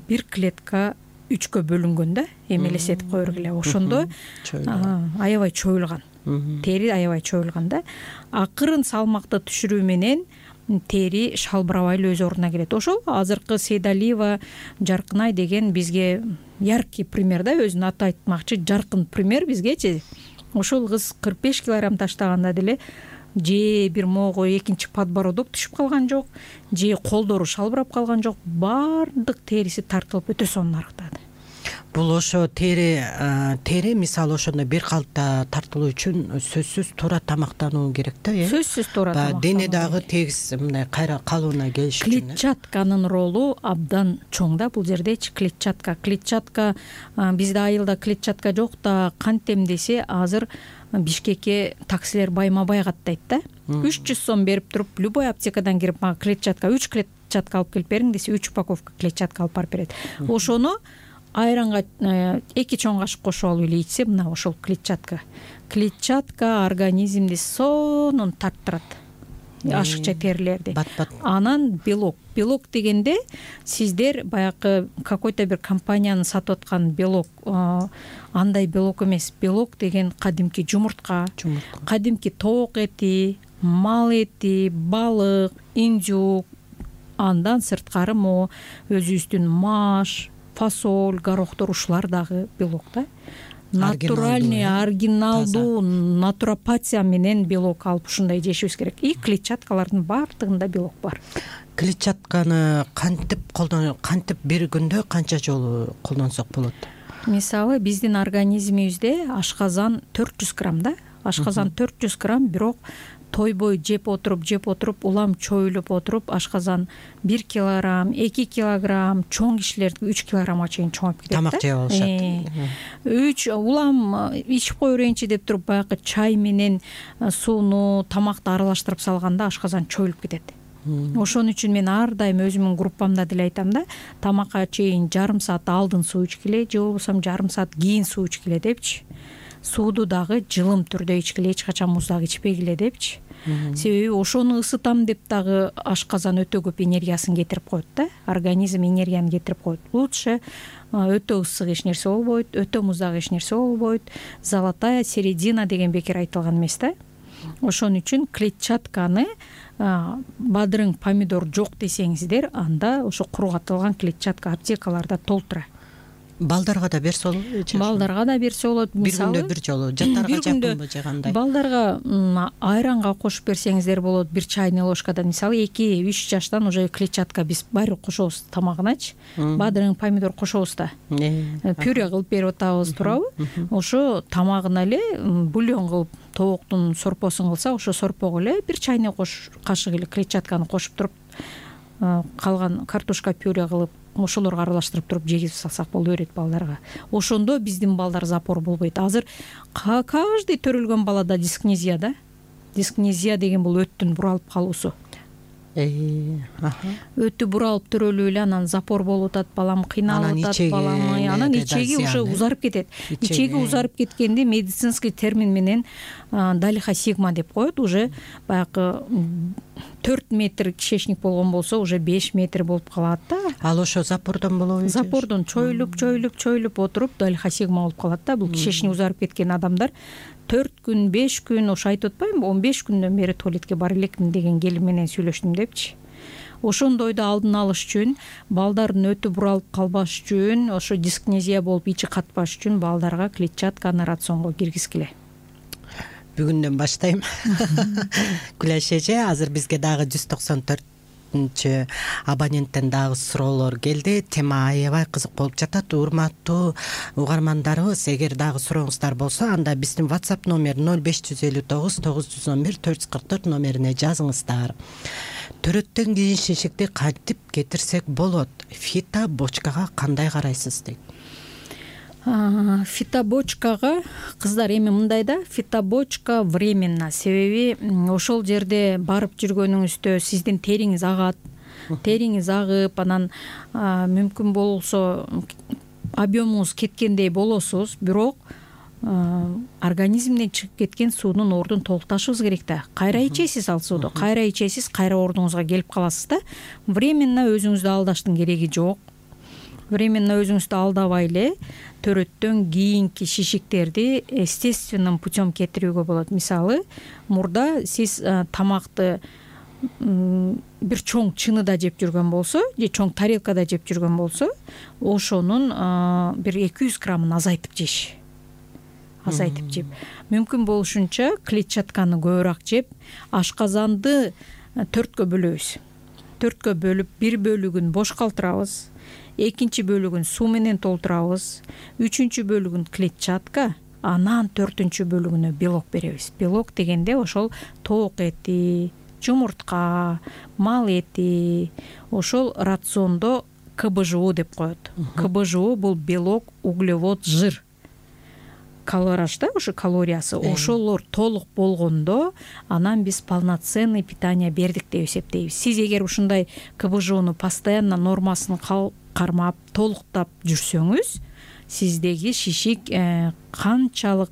бир клетка 3кө бөлүнгөн да, эми элестетип кое бергиле. Ошондо аябай чоюлган. Тери аябай чоюлган да. Акырын салмакты түшүрүү менен тери шалбырабай эле өз ордуна келет. Ошол азыркы Сейдалиева Жаркынай деген бизге яркий пример да, өзүнүн аты айтмакчы, жаркын пример бизгечи. Ошол кыз 45 килограмм таштаганда деле же бир могу экинчи подбородок түшүп калган жок, же колдору шалбырап калган жок, баардык териси тартылып өтө сонун арыктады. Бул ошо тери мисалы ошондой бир калыпта тартылуу үчүн сөзсүз туура тамактануу керек да, э? Сөзсүз туура тамактануу. Дене дагы тегиз мындай кайра калыбына келиш үчүн. Клетчатканын ролу абдан чоң да бул жердечи. Клетчатка бизде айылда клетчатка жок да, кантем десе азыр Бишкекке таксилер байма-бай каттайт да. 300 сом берип туруп, любой аптекадан кирип, мага клетчатка 3 клетчатка алып келип бериң десе, 3 упаковка клетчатка алып барып берет. Ошону айранга 2 чоң кашык кошуп алып эле ичсе, мына ошол клетчатка. Клетчатка организмди сонун тарттырат. Ашыкча терилерди. Анан белок. Белок дегенде сиздер баягы какой-то бир компаниянын сатып аткан белок, андай белок эмес. Белок деген кадимки жумуртка, кадимки тоок эти, мал эти, балык, индюк, андан сырткары мо өзүбүздүн маш, фасоль, горохтор, ушулар дагы белок да. Натуральный, оригиналдуу натуропатия менен белок алып ушундай жешибиз керек. И клетчаткалардын баардыгында белок бар. Клетчатканы кантип бир күндө канча жолу колдонсок болот? Мисалы биздин организмибизде ашказан 400 грамм да. Ашказан 400 грамм, бирок тойбой жеп отуруп улам чоюлуп отуруп ашказан 1 килограмм 2 килограмм, чоң кишилер 3 килограммга чейин чоңоюп кетет. Тамак жеп алышат. 3 улам ичип кое берейинчи деп туруп баягы чай менен сууну, тамакты аралаштырып салганда ашказан чоюлуп кетет. Ошон үчүн мен ар дайым өзүмдүн группамда деле айтам да, тамакка чейин жарым саат алдын суу ичкиле же болбосо жарым саат кийин суу ичкиле депчи. Сууду дагы жылым түрдө ичкиле, эч качан муздак ичпегиле депчи. Себеби ошону ысытам деп дагы ашказан өтө көп энергиясын кетирип коет да, организм энергияны кетирип коет. Лучше өтө ысык эч нерсе болбойт, өтө муздак эч нерсе болбойт. Золотая середина деген бекер айтылган эмес да. Ошон үчүн клетчатканы бадырың помидор жок десеңиздер, анда ошо кургатылган клетчатка аптекаларда толтура. Балдарга да берсе болот. Балдарга да берсе болот. Мисалы бир күндө бир жолу жаттарга жакынбы же кандай? Балдарга айранга кошуп берсеңиздер болот. 1 чайный ложкадан, мисалы 2-3 жаштан уже клетчатка биз баары кошобуз тамагыначы. Бадырың помидор кошобуз да. Пюре кылып берип атабыз, туурабы? Ошо тамагына эле бульон кылып тооктун сорпосун кылса, ошо сорпого эле 1 чайный кашык эле клетчатканы кошуп туруп, калган картошка пюре кылып ошолорго аралаштырып туруп жегиз салсак боло берет балдарга. Ошондо биздин балдар запор болбойт. Азыр каждый төрөлгөн балада дискнезия да. Дискнезия деген бул өттүн буралып калуусу. Өтү буралып төрөлүп эле анан запор болуп атат, балам кыйналып атат, балам анан ичеги уже узарып кетет. Ичеги узарып кеткенде медицинский термин менен далиха сигма деп коет. Уже баягы 4 метр кишечник болгон болсо уже 5 метр болуп калат да. Ал ошо запордон болобу? Запордон чоюлуп отуруп далиха сигма болуп калат да. Бул кишечник узарып кеткен адамдар 4 күн, 5 күн, ошо айтып атпаймынбы, 15 күндөн бери туалетке бара элекмин деген келин менен сүйлөштүм депчи. Ошондойду алдын алыш үчүн, балдардын өтү буралып калбаш үчүн, ошо дискнезия болуп ичи катпаш үчүн балдарга клетчатканы рационго киргизгиле. Бүгүндөн баштайм. Күлөш эже, азыр бизге дагы 194 абоненттен дагы суроолор келди. Тема аябай кызык болуп жатат. Урматтуу угармандарыбыз, эгер дагы сурооңуздар болсо, анда биздин WhatsApp номер 0559 911 444 номерине жазыңыздар. Төрөттөн кийин шишикти кантип кетирсек болот? Фитобочкага кандай карайсыз дейт. Фитобочкага кыздар эми мындай да, фитобочка временно. Себеби ошол жерде барып жүргөнүңүздө сиздин териңиз агат, териңиз агып, анан мүмкүн болсо объемуңуз кеткендей болосуз, бирок организмден чыгып кеткен суунун ордун толукташыбыз керек да. Кайра ичесиз ал сууду, кайра ичесиз, кайра ордуңузга келип каласыз да. Временно өзүңүздү алдаштын кереги жок. Временно өзүңүздү алдабай эле төрөттөн кийинки шишиктерди естественным путем кетирүүгө болот. Мисалы, мурда сиз тамакты бир чоң чыныда жеп жүргөн болсо, же чоң тарелкада жеп жүргөн болсо, ошонун бир 200 граммын азайтып жеш. Азайтып жеп. Мүмкүн болушунча клетчатканы көбүрөөк жеп, ашказанды 4кө бөлөбүз. 4кө бөлүп, бир бөлүгүн бош калтырабыз. Экинчи бөлүгүн суу менен толтурабыз, үчүнчү бөлүгүн клетчатка, анан 4-чү бөлүгүнө белок беребиз. Белок дегенде ошол тоок эти, жумуртка, мал эти, ошол рациондо КБЖУ деп коет. КБЖУ бул белок, углевод, жир. Калораж да, ошо калориясы, ошолор толук болгондо анан биз полноценный питание бердик деп эсептейбиз. Сиз эгер ушундай КБЖУну постоянно нормасын кармап, толуктап жүрсөңүз, сиздеги шишик канчалык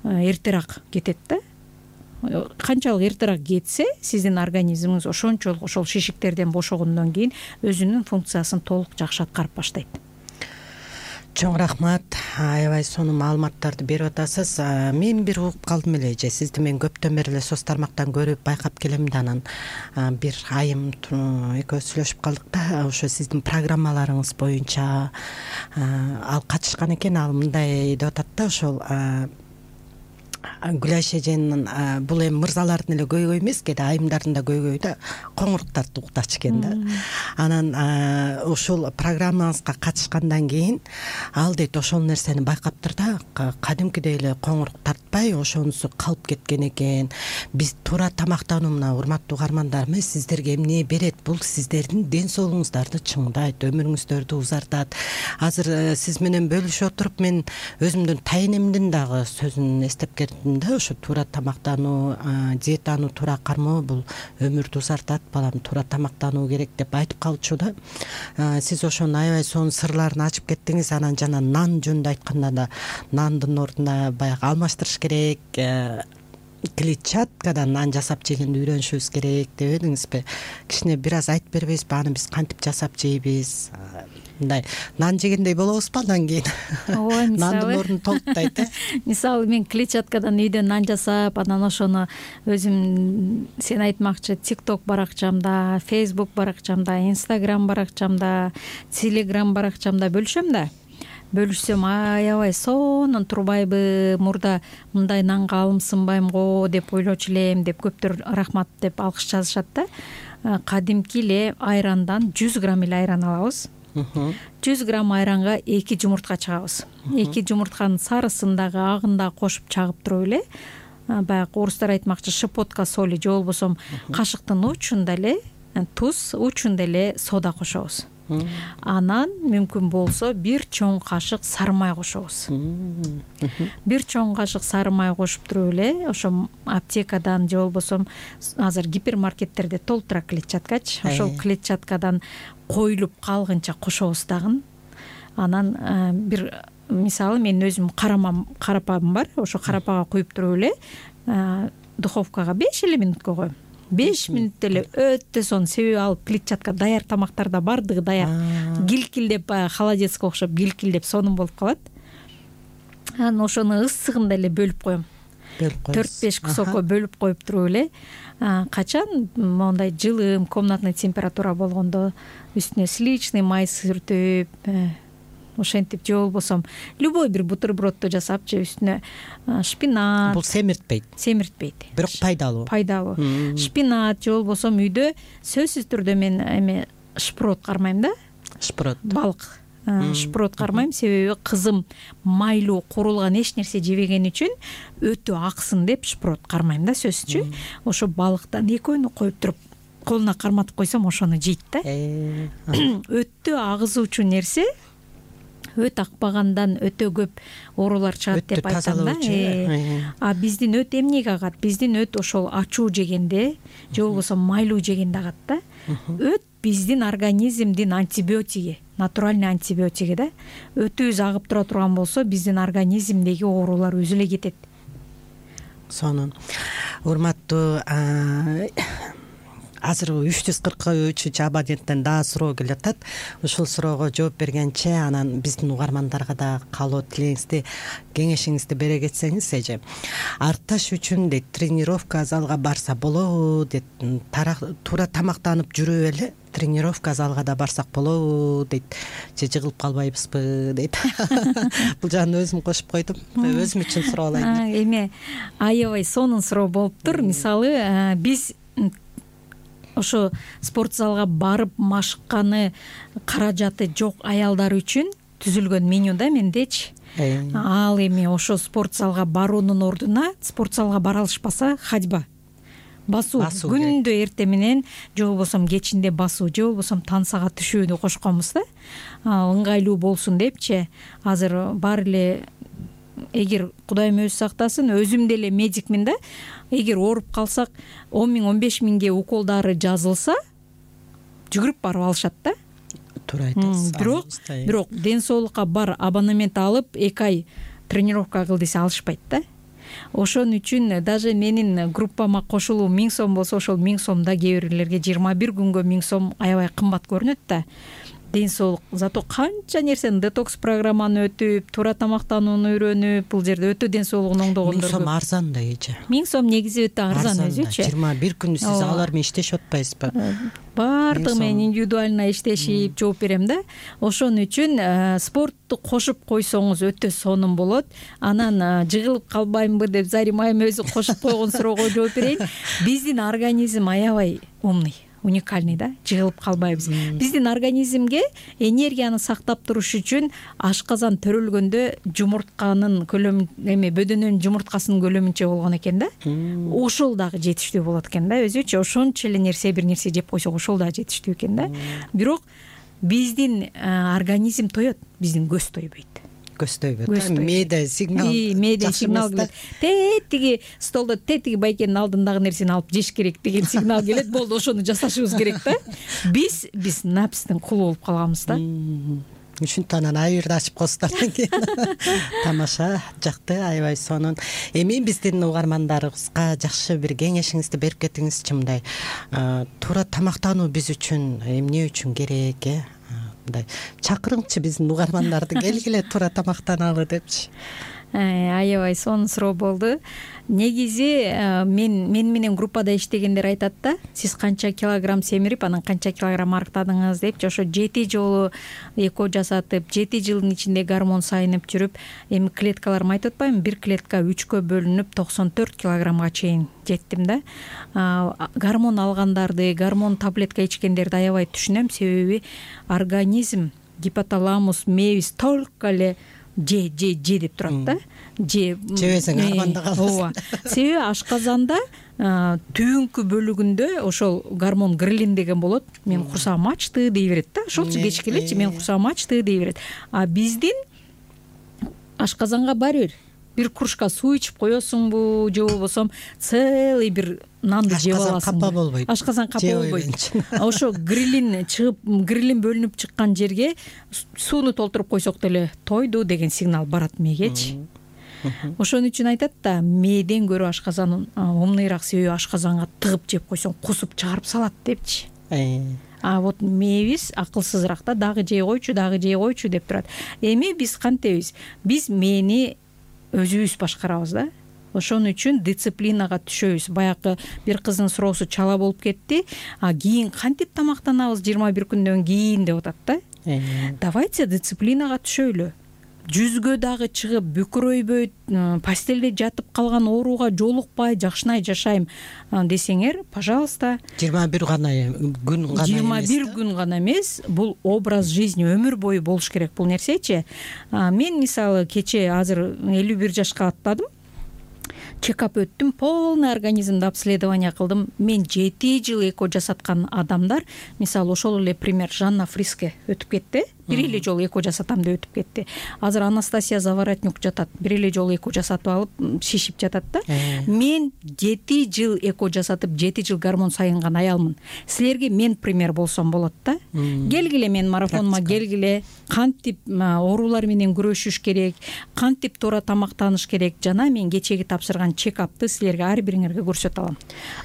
эртерээк кетет да. Канчалык эртерээк кетсе, сиздин организмиңиз ошончолук ошол шишиктерден бошогондон кийин өзүнүн функциясын толук жакшы аткарып баштайт. Чоң рахмат, аябай сонун маалыматтарды берип атасыз. Мен бир угуп калдым эле же, сизди мен көптөн бери эле соц тармактан көрүп байкап келем да, анан бир айым экөөбүз сүйлөшүп калдык да, ошо сиздин программаларыңыз боюнча ал катышкан экен, ал мындай деп атат да, ошол Гүлайша эженин бул эми мырзалардын эле көйгөй эмес, кээде айымдардын да көйгөйү да коңуруктарды уктач экен да. Анан ушул программаңызга катышкандан кийин ал дейт ошол нерсени байкаптыр да, кадимкидей эле коңурук тартпай ошонусу калып кеткен экен. Биз туура тамактануу мына урматтуу угармандарым сиздерге эмне берет? Бул сиздердин ден соолугуңуздарды чыңдайт, өмүрүңүздөрдү узартат. Азыр сиз менен бөлүшүп отуруп мен өзүмдүн тайнемдин дагы сөзүн эстеп кеттим да. Ошо туура тамактануу, диетаны туура кармоо бул өмүрдү узартат, балам туура тамактануу керек деп айтып калчу да. Сиз ошону аябай сонун сырларын ачып кеттиңиз. Анан жана нан жөнүндө айтканда да нандын ордуна баягы алмаштырыш керек, клетчаткадан нан жасап жегенди үйрөнүшүбүз керек деп эдиңизби? Кичине бир аз айтып бербейсизби? Аны биз кантип жасап жейбиз? Мындай нан жегендей болобузбу андан кийин? Ооба, мисалы нандын ордун толуктайт. Мисалы мен клетчаткадан үйдөн нан жасап, анан ошону өзүм сен айтмакчы TikTok баракчамда, Facebook баракчамда, Instagram баракчамда, Telegram баракчамда бөлүшөм да. Бөлүшсөм аябай сонун турбайбы, мурда мындай нанга алымсынбайм го деп ойлочу элем деп көптөр рахмат деп алкыш жазышат да. Кадимки эле айрандан 100 грамм эле айран алабыз. 100 грамм айранга 2 жумуртка чагабыз. 2 жумуртканын сарысын дагы агын дагы кошуп чагып туруп эле, баягы орустар айтмакчы щепотка соли же болбосо кашыктын учунда эле туз, учунда эле сода кошобуз. Анан мүмкүн болсо бир чоң кашык сары май кошобуз. Бир чоң кашык сары май кошуп туруп эле ошо аптекадан же болбосо азыр гипермаркеттерде толтура клетчаткачы, ошол клетчаткадан коюлуп калгынча кошобуз дагы. Анан бир мисалы мен өзүм карапам бар, ошо карапага куюп туруп эле духовкага 5 эле мүнөткө коем. 5 мүнөттө эле өтө сонун. Себеби ал клетчатка даяр тамактарда бардыгы даяр. Гилкилдеп баягы холодецке окшоп гилкилдеп сонун болуп калат. Анан ошону ысыгында эле бөлүп коем. 4-5 кусокко бөлүп коюп туруп эле качан мондай жылым комнатный температура болгондо үстүнө сливочный май сүртүп, ошентип же болбосо любой бир бутербродду жасап же үстүнө шпинат. Бул семиртпейт. Бирок пайдалуу. Шпинат же болбосо үйдө сөзсүз түрдө мен эме шпрот кармайм да. Шпрот. Балык. Шпрот кармайм, себеби кызым майлуу курулган эч нерсе жебеген үчүн өтө аксын деп шпрот кармайм да сөзсүзчү. Ошо балыктан экөөнү коюп туруп колуна карматып койсом ошону жейт да. Өтө агызуучу нерсе, өт акпагандан өтө көп оорулар чыгат деп айтам да. А биздин өт эмнеге агат? Биздин өт ошол ачуу жегенде же болбосо майлуу жегенде агат да. Өт биздин организмдин антибиотиги, натуральный антибиотиги да. Өтүбүз агып тура турган болсо биздин организмдеги оорулар өзү эле кетет. Сонун. Урматтуу азыр 343 абоненттен дагы суроо келип атат. Ушул суроого жооп бергенче анан биздин угармандарга да каалоо тилегиңизди, кеңешиңизди бере кетсеңиз эже. Артташ үчүн дейт, тренировка залга барса болобу дейт. Туура тамактанып жүрүп эле тренировка залга да барсак болобу дейт. Же жыгылып калбайбызбы дейт. Бул жагын өзүм кошуп койдум. Өзүм үчүн суроо алайын. Эме аябай сонун суроо болуптур. Мисалы, биз ошо спорт залга барып машыкканы каражаты жок аялдар үчүн түзүлгөн меню да мендечи. Ал эми ошо спорт залга баруунун ордуна спорт залга бара алышпаса ходьба, басуу күндө эртең менен же болбосо кечинде басуу же болбосо тансага түшүүнү кошконбуз да. Ыңгайлуу болсун депчи. Азыр баары эле эгер Кудайым өзү сактасын, өзүм деле медикмин да. Эгер ооруп калсак 10 миң 15 миңге укол дары жазылса жүгүрүп барып алышат да. Туура айтасыз. Бирок ден соолукка бар абонемент алып 2 ай тренировка кыл десе алышпайт да. Ошон үчүн даже менин группама кошулуу 1000 сом болсо ошол 1000 сомда кээ бирлерге 21 күнгө 1000 сом аябай кымбат көрүнөт да. ден соолук. Зато канча нерсени детокс программаны өтүп, туура тамактанууну үйрөнүп, бул жерде өтө ден соолугун оңдогондор 1000 сом арзан да эже. 1000 сом негизи өтө арзан өзүчү. 21 күн сиз алар менен иштешип атпайсызбы? Баардыгы менен индивидуально иштешип жооп берем да. Ошон үчүн спортту кошуп койсоңуз өтө сонун болот. Анан жыгылып калбаймынбы деп Зарима айым өзү кошуп койгон суроого жооп берейин. Биздин организм аябай умный, уникальный да, жыгылып калбайбыз. Биздин организмге энергияны сактап туруш үчүн ашказан төрөлгөндө жумуртканын көлөмү бөдөнөнүн жумурткасынын көлөмүнчө болгон экен да. Ошол дагы жетиштүү болот экен да өзүчө. Ошончо эле бир нерсе жеп койсок ошол дагы жетиштүү экен да. Бирок биздин организм тоет, биздин көз тойбойт. Мээде сигнал келет. Тетиги столдо тетиги байкенин алдындагы нерсени алып жеш керек деген сигнал келет. Болду, ошону жасашыбыз керек да. Биз напстын кулу болуп калганбыз да. Ушинтип анан айырды ачып коесуздар экен. Тамаша, жакты, аябай сонун. Эми биздин угармандарыбызга жакшы бир кеңешиңизди берип кетиңизчи. Мындай туура тамактануу биз үчүн эмне үчүн керек, мындай чакырыңчы биздин угармандарды келгиле туура тамактаналы депчи. Аябай сонун суроо болду. Негизи мен менен группада иштегендер айтат да, сиз канча килограмм семирип, анан канча килограмм арыктадыңыз депчи. Ошо 7 жолу эко жасатып, 7 жылдын ичинде гормон сайынып жүрүп, эми клеткаларым айтып атпаймынбы, бир клетка 3кө бөлүнүп 94 килограммга чейин жеттим да. Гормон алгандарды, гормон таблетка ичкендерди аябай түшүнөм, себеби организм, гипоталамус, мебис только эле же деп турат да. Жебесең арманда каласың. Себеби ашказанда түбүнкү бөлүгүндө ошол гормон грелин деген болот. Мен курсагым ачты дей берет да. Ошолчу кеч келечи, мен курсагым ачты дей берет. А биздин ашказанга баары бир кружка суу ичип коесуңбу, же болбосо целый бир нанды жеп аласың. Ашказан капа болбойт. Ошо грелин чыгып, грелин бөлүнүп чыккан жерге сууну толтуруп койсок деле тойду деген сигнал барат мээгечи. Ошон үчүн айтат да, мээден көрө ашказан умныйраак, себеби ашказанга тыгып жеп койсоң кусуп чыгарып салат депчи. А вот мээбиз акылсызыраак да, дагы жей койчу деп турат. Эми биз кантебиз? Биз мээни өзүбүз башкарабыз да. Ошон үчүн дисциплинага түшөбүз. Баягы бир кыздын суроосу чала болуп кетти. Кийин кантип тамактанабыз 21 күндөн кийин деп атат да. Давайте дисциплинага түшөлү. Жүзгө дагы чыгып, бүкүрөйбөйт, постелде жатып калган ооруга жолукпай, жакшынай жашайм десеңер, пожалуйста. 21 күн гана эмес. 21 күн гана эмес, бул образ жизни, өмүр бою болуш керек бул нерсечи. Мен мисалы кече азыр 51 жашка аттадым. Чекап өттүм, полный организмди обследование кылдым. Мен 7 жыл эко жасаткан адамдар, мисалы ошол эле пример Жанна Фриске өтүп кетти. Бир эле жолу эко жасатам деп өтүп кетти. Азыр Анастасия Заворотнюк жатат. Бир эле жолу эко жасатып алып, шишип жатат да. Мен 7 жыл эко жасатып, 7 жыл гормон сайынган аялмын. Силерге мен пример болсом болот да. Келгиле мен марафонума келгиле, кантип оорулар менен күрөшүш керек, кантип туура тамактаныш керек, жана мен кечеги тапшырган чекапты силерге ар бириңерге көрсөтө алам.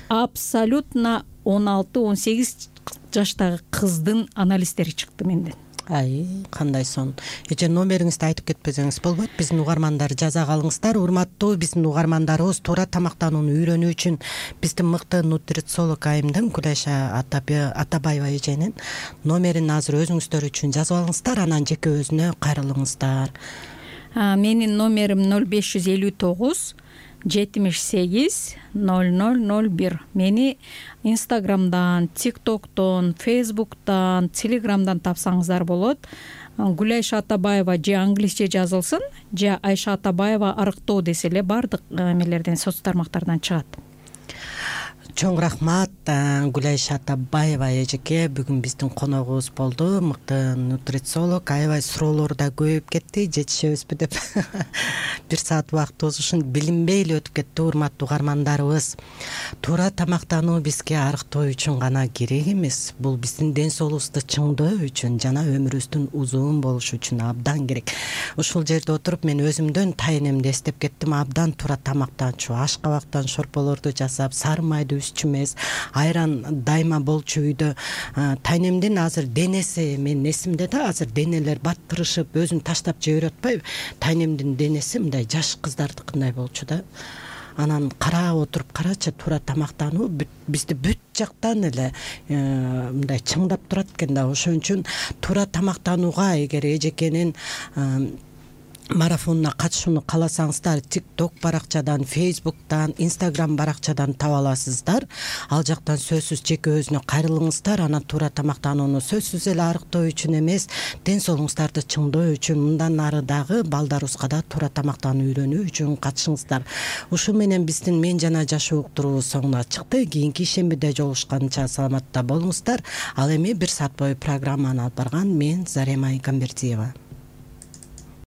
Абсолютно 16-18 жаштагы кыздын анализдери чыкты менден. Кандай сон. Эже номериңизди айтып кетпесеңиз болбойт. Биздин угармандар жаза калыңыздар. Урматтуу биздин угармандарыбыз, туура тамактанууну үйрөнүү үчүн биздин мыкты нутрициолог айымдын Гүлайша Атабаева эженин номерин азыр өзүңүздөр үчүн жазып алыңыздар, анан жеке өзүнө кайрылыңыздар. Менин номерим 0559 78 0001. Мени Инстаграмдан, ТикТоктон, Фейсбуктан, Телеграмдан тапсаңыздар болот. Гүлайша Атабаева же англисче жазылсын, же Айша Атабаева арыктоо десе эле бардык эмелерден, соц тармактардан чыгат. Чоң рахмат Гүлайша Атабаева эжеке, бүгүн биздин коногубуз болду. Мыкты нутрициолог, аябай суроолор да көбөйүп кетти, жетишебизби деп. 1 саат убактыбыз ушун билинбей эле өтүп кетти. Урматтуу угармандарыбыз, туура тамактануу бизге арыктоо үчүн гана керек эмес, бул биздин ден соолугубузду чыңдоо үчүн жана өмүрүбүздүн узун болушу үчүн абдан керек. Ушул жерде отуруп мен өзүмдөн тайнемди эстеп кеттим. Абдан туура тамактанчу, ашкабактан шорполорду жасап, сары майды өзүбүз үчүн эмес. Айран дайыма болчу үйдө. Тайнемдин азыр денеси, менин эсимде да, азыр денелер баттырышып, өзүн таштап жиберип атпайбы? Тайнемдин денеси мындай жаш кыздардыкындай болчу да. Анан карап отуруп карачы, туура тамактануу бизди бүт жактан эле мындай чыңдап турат экен да. Ошон үчүн туура тамактанууга эгер эжекенин марафонуна катышууну кааласаңыздар, TikTok баракчадан, Facebook'тан, Instagram баракчадан таба аласыздар. Ал жактан сөзсүз жеке өзүнө кайрылыңыздар. Анан туура тамактанууну сөзсүз эле арыктоо үчүн эмес, ден соолугуңуздарды чыңдоо үчүн, мындан ары дагы балдарыбызга да туура тамактануу үйрөнүү үчүн катышыңыздар. Ушул менен биздин Мен жана жашоо уктуруу соңуна чыкты. Кийинки ишембиде жолугушканча саламатта болуңуздар. Ал эми 1 саат бою программаны алып барган мен Зарема Игамбердиева.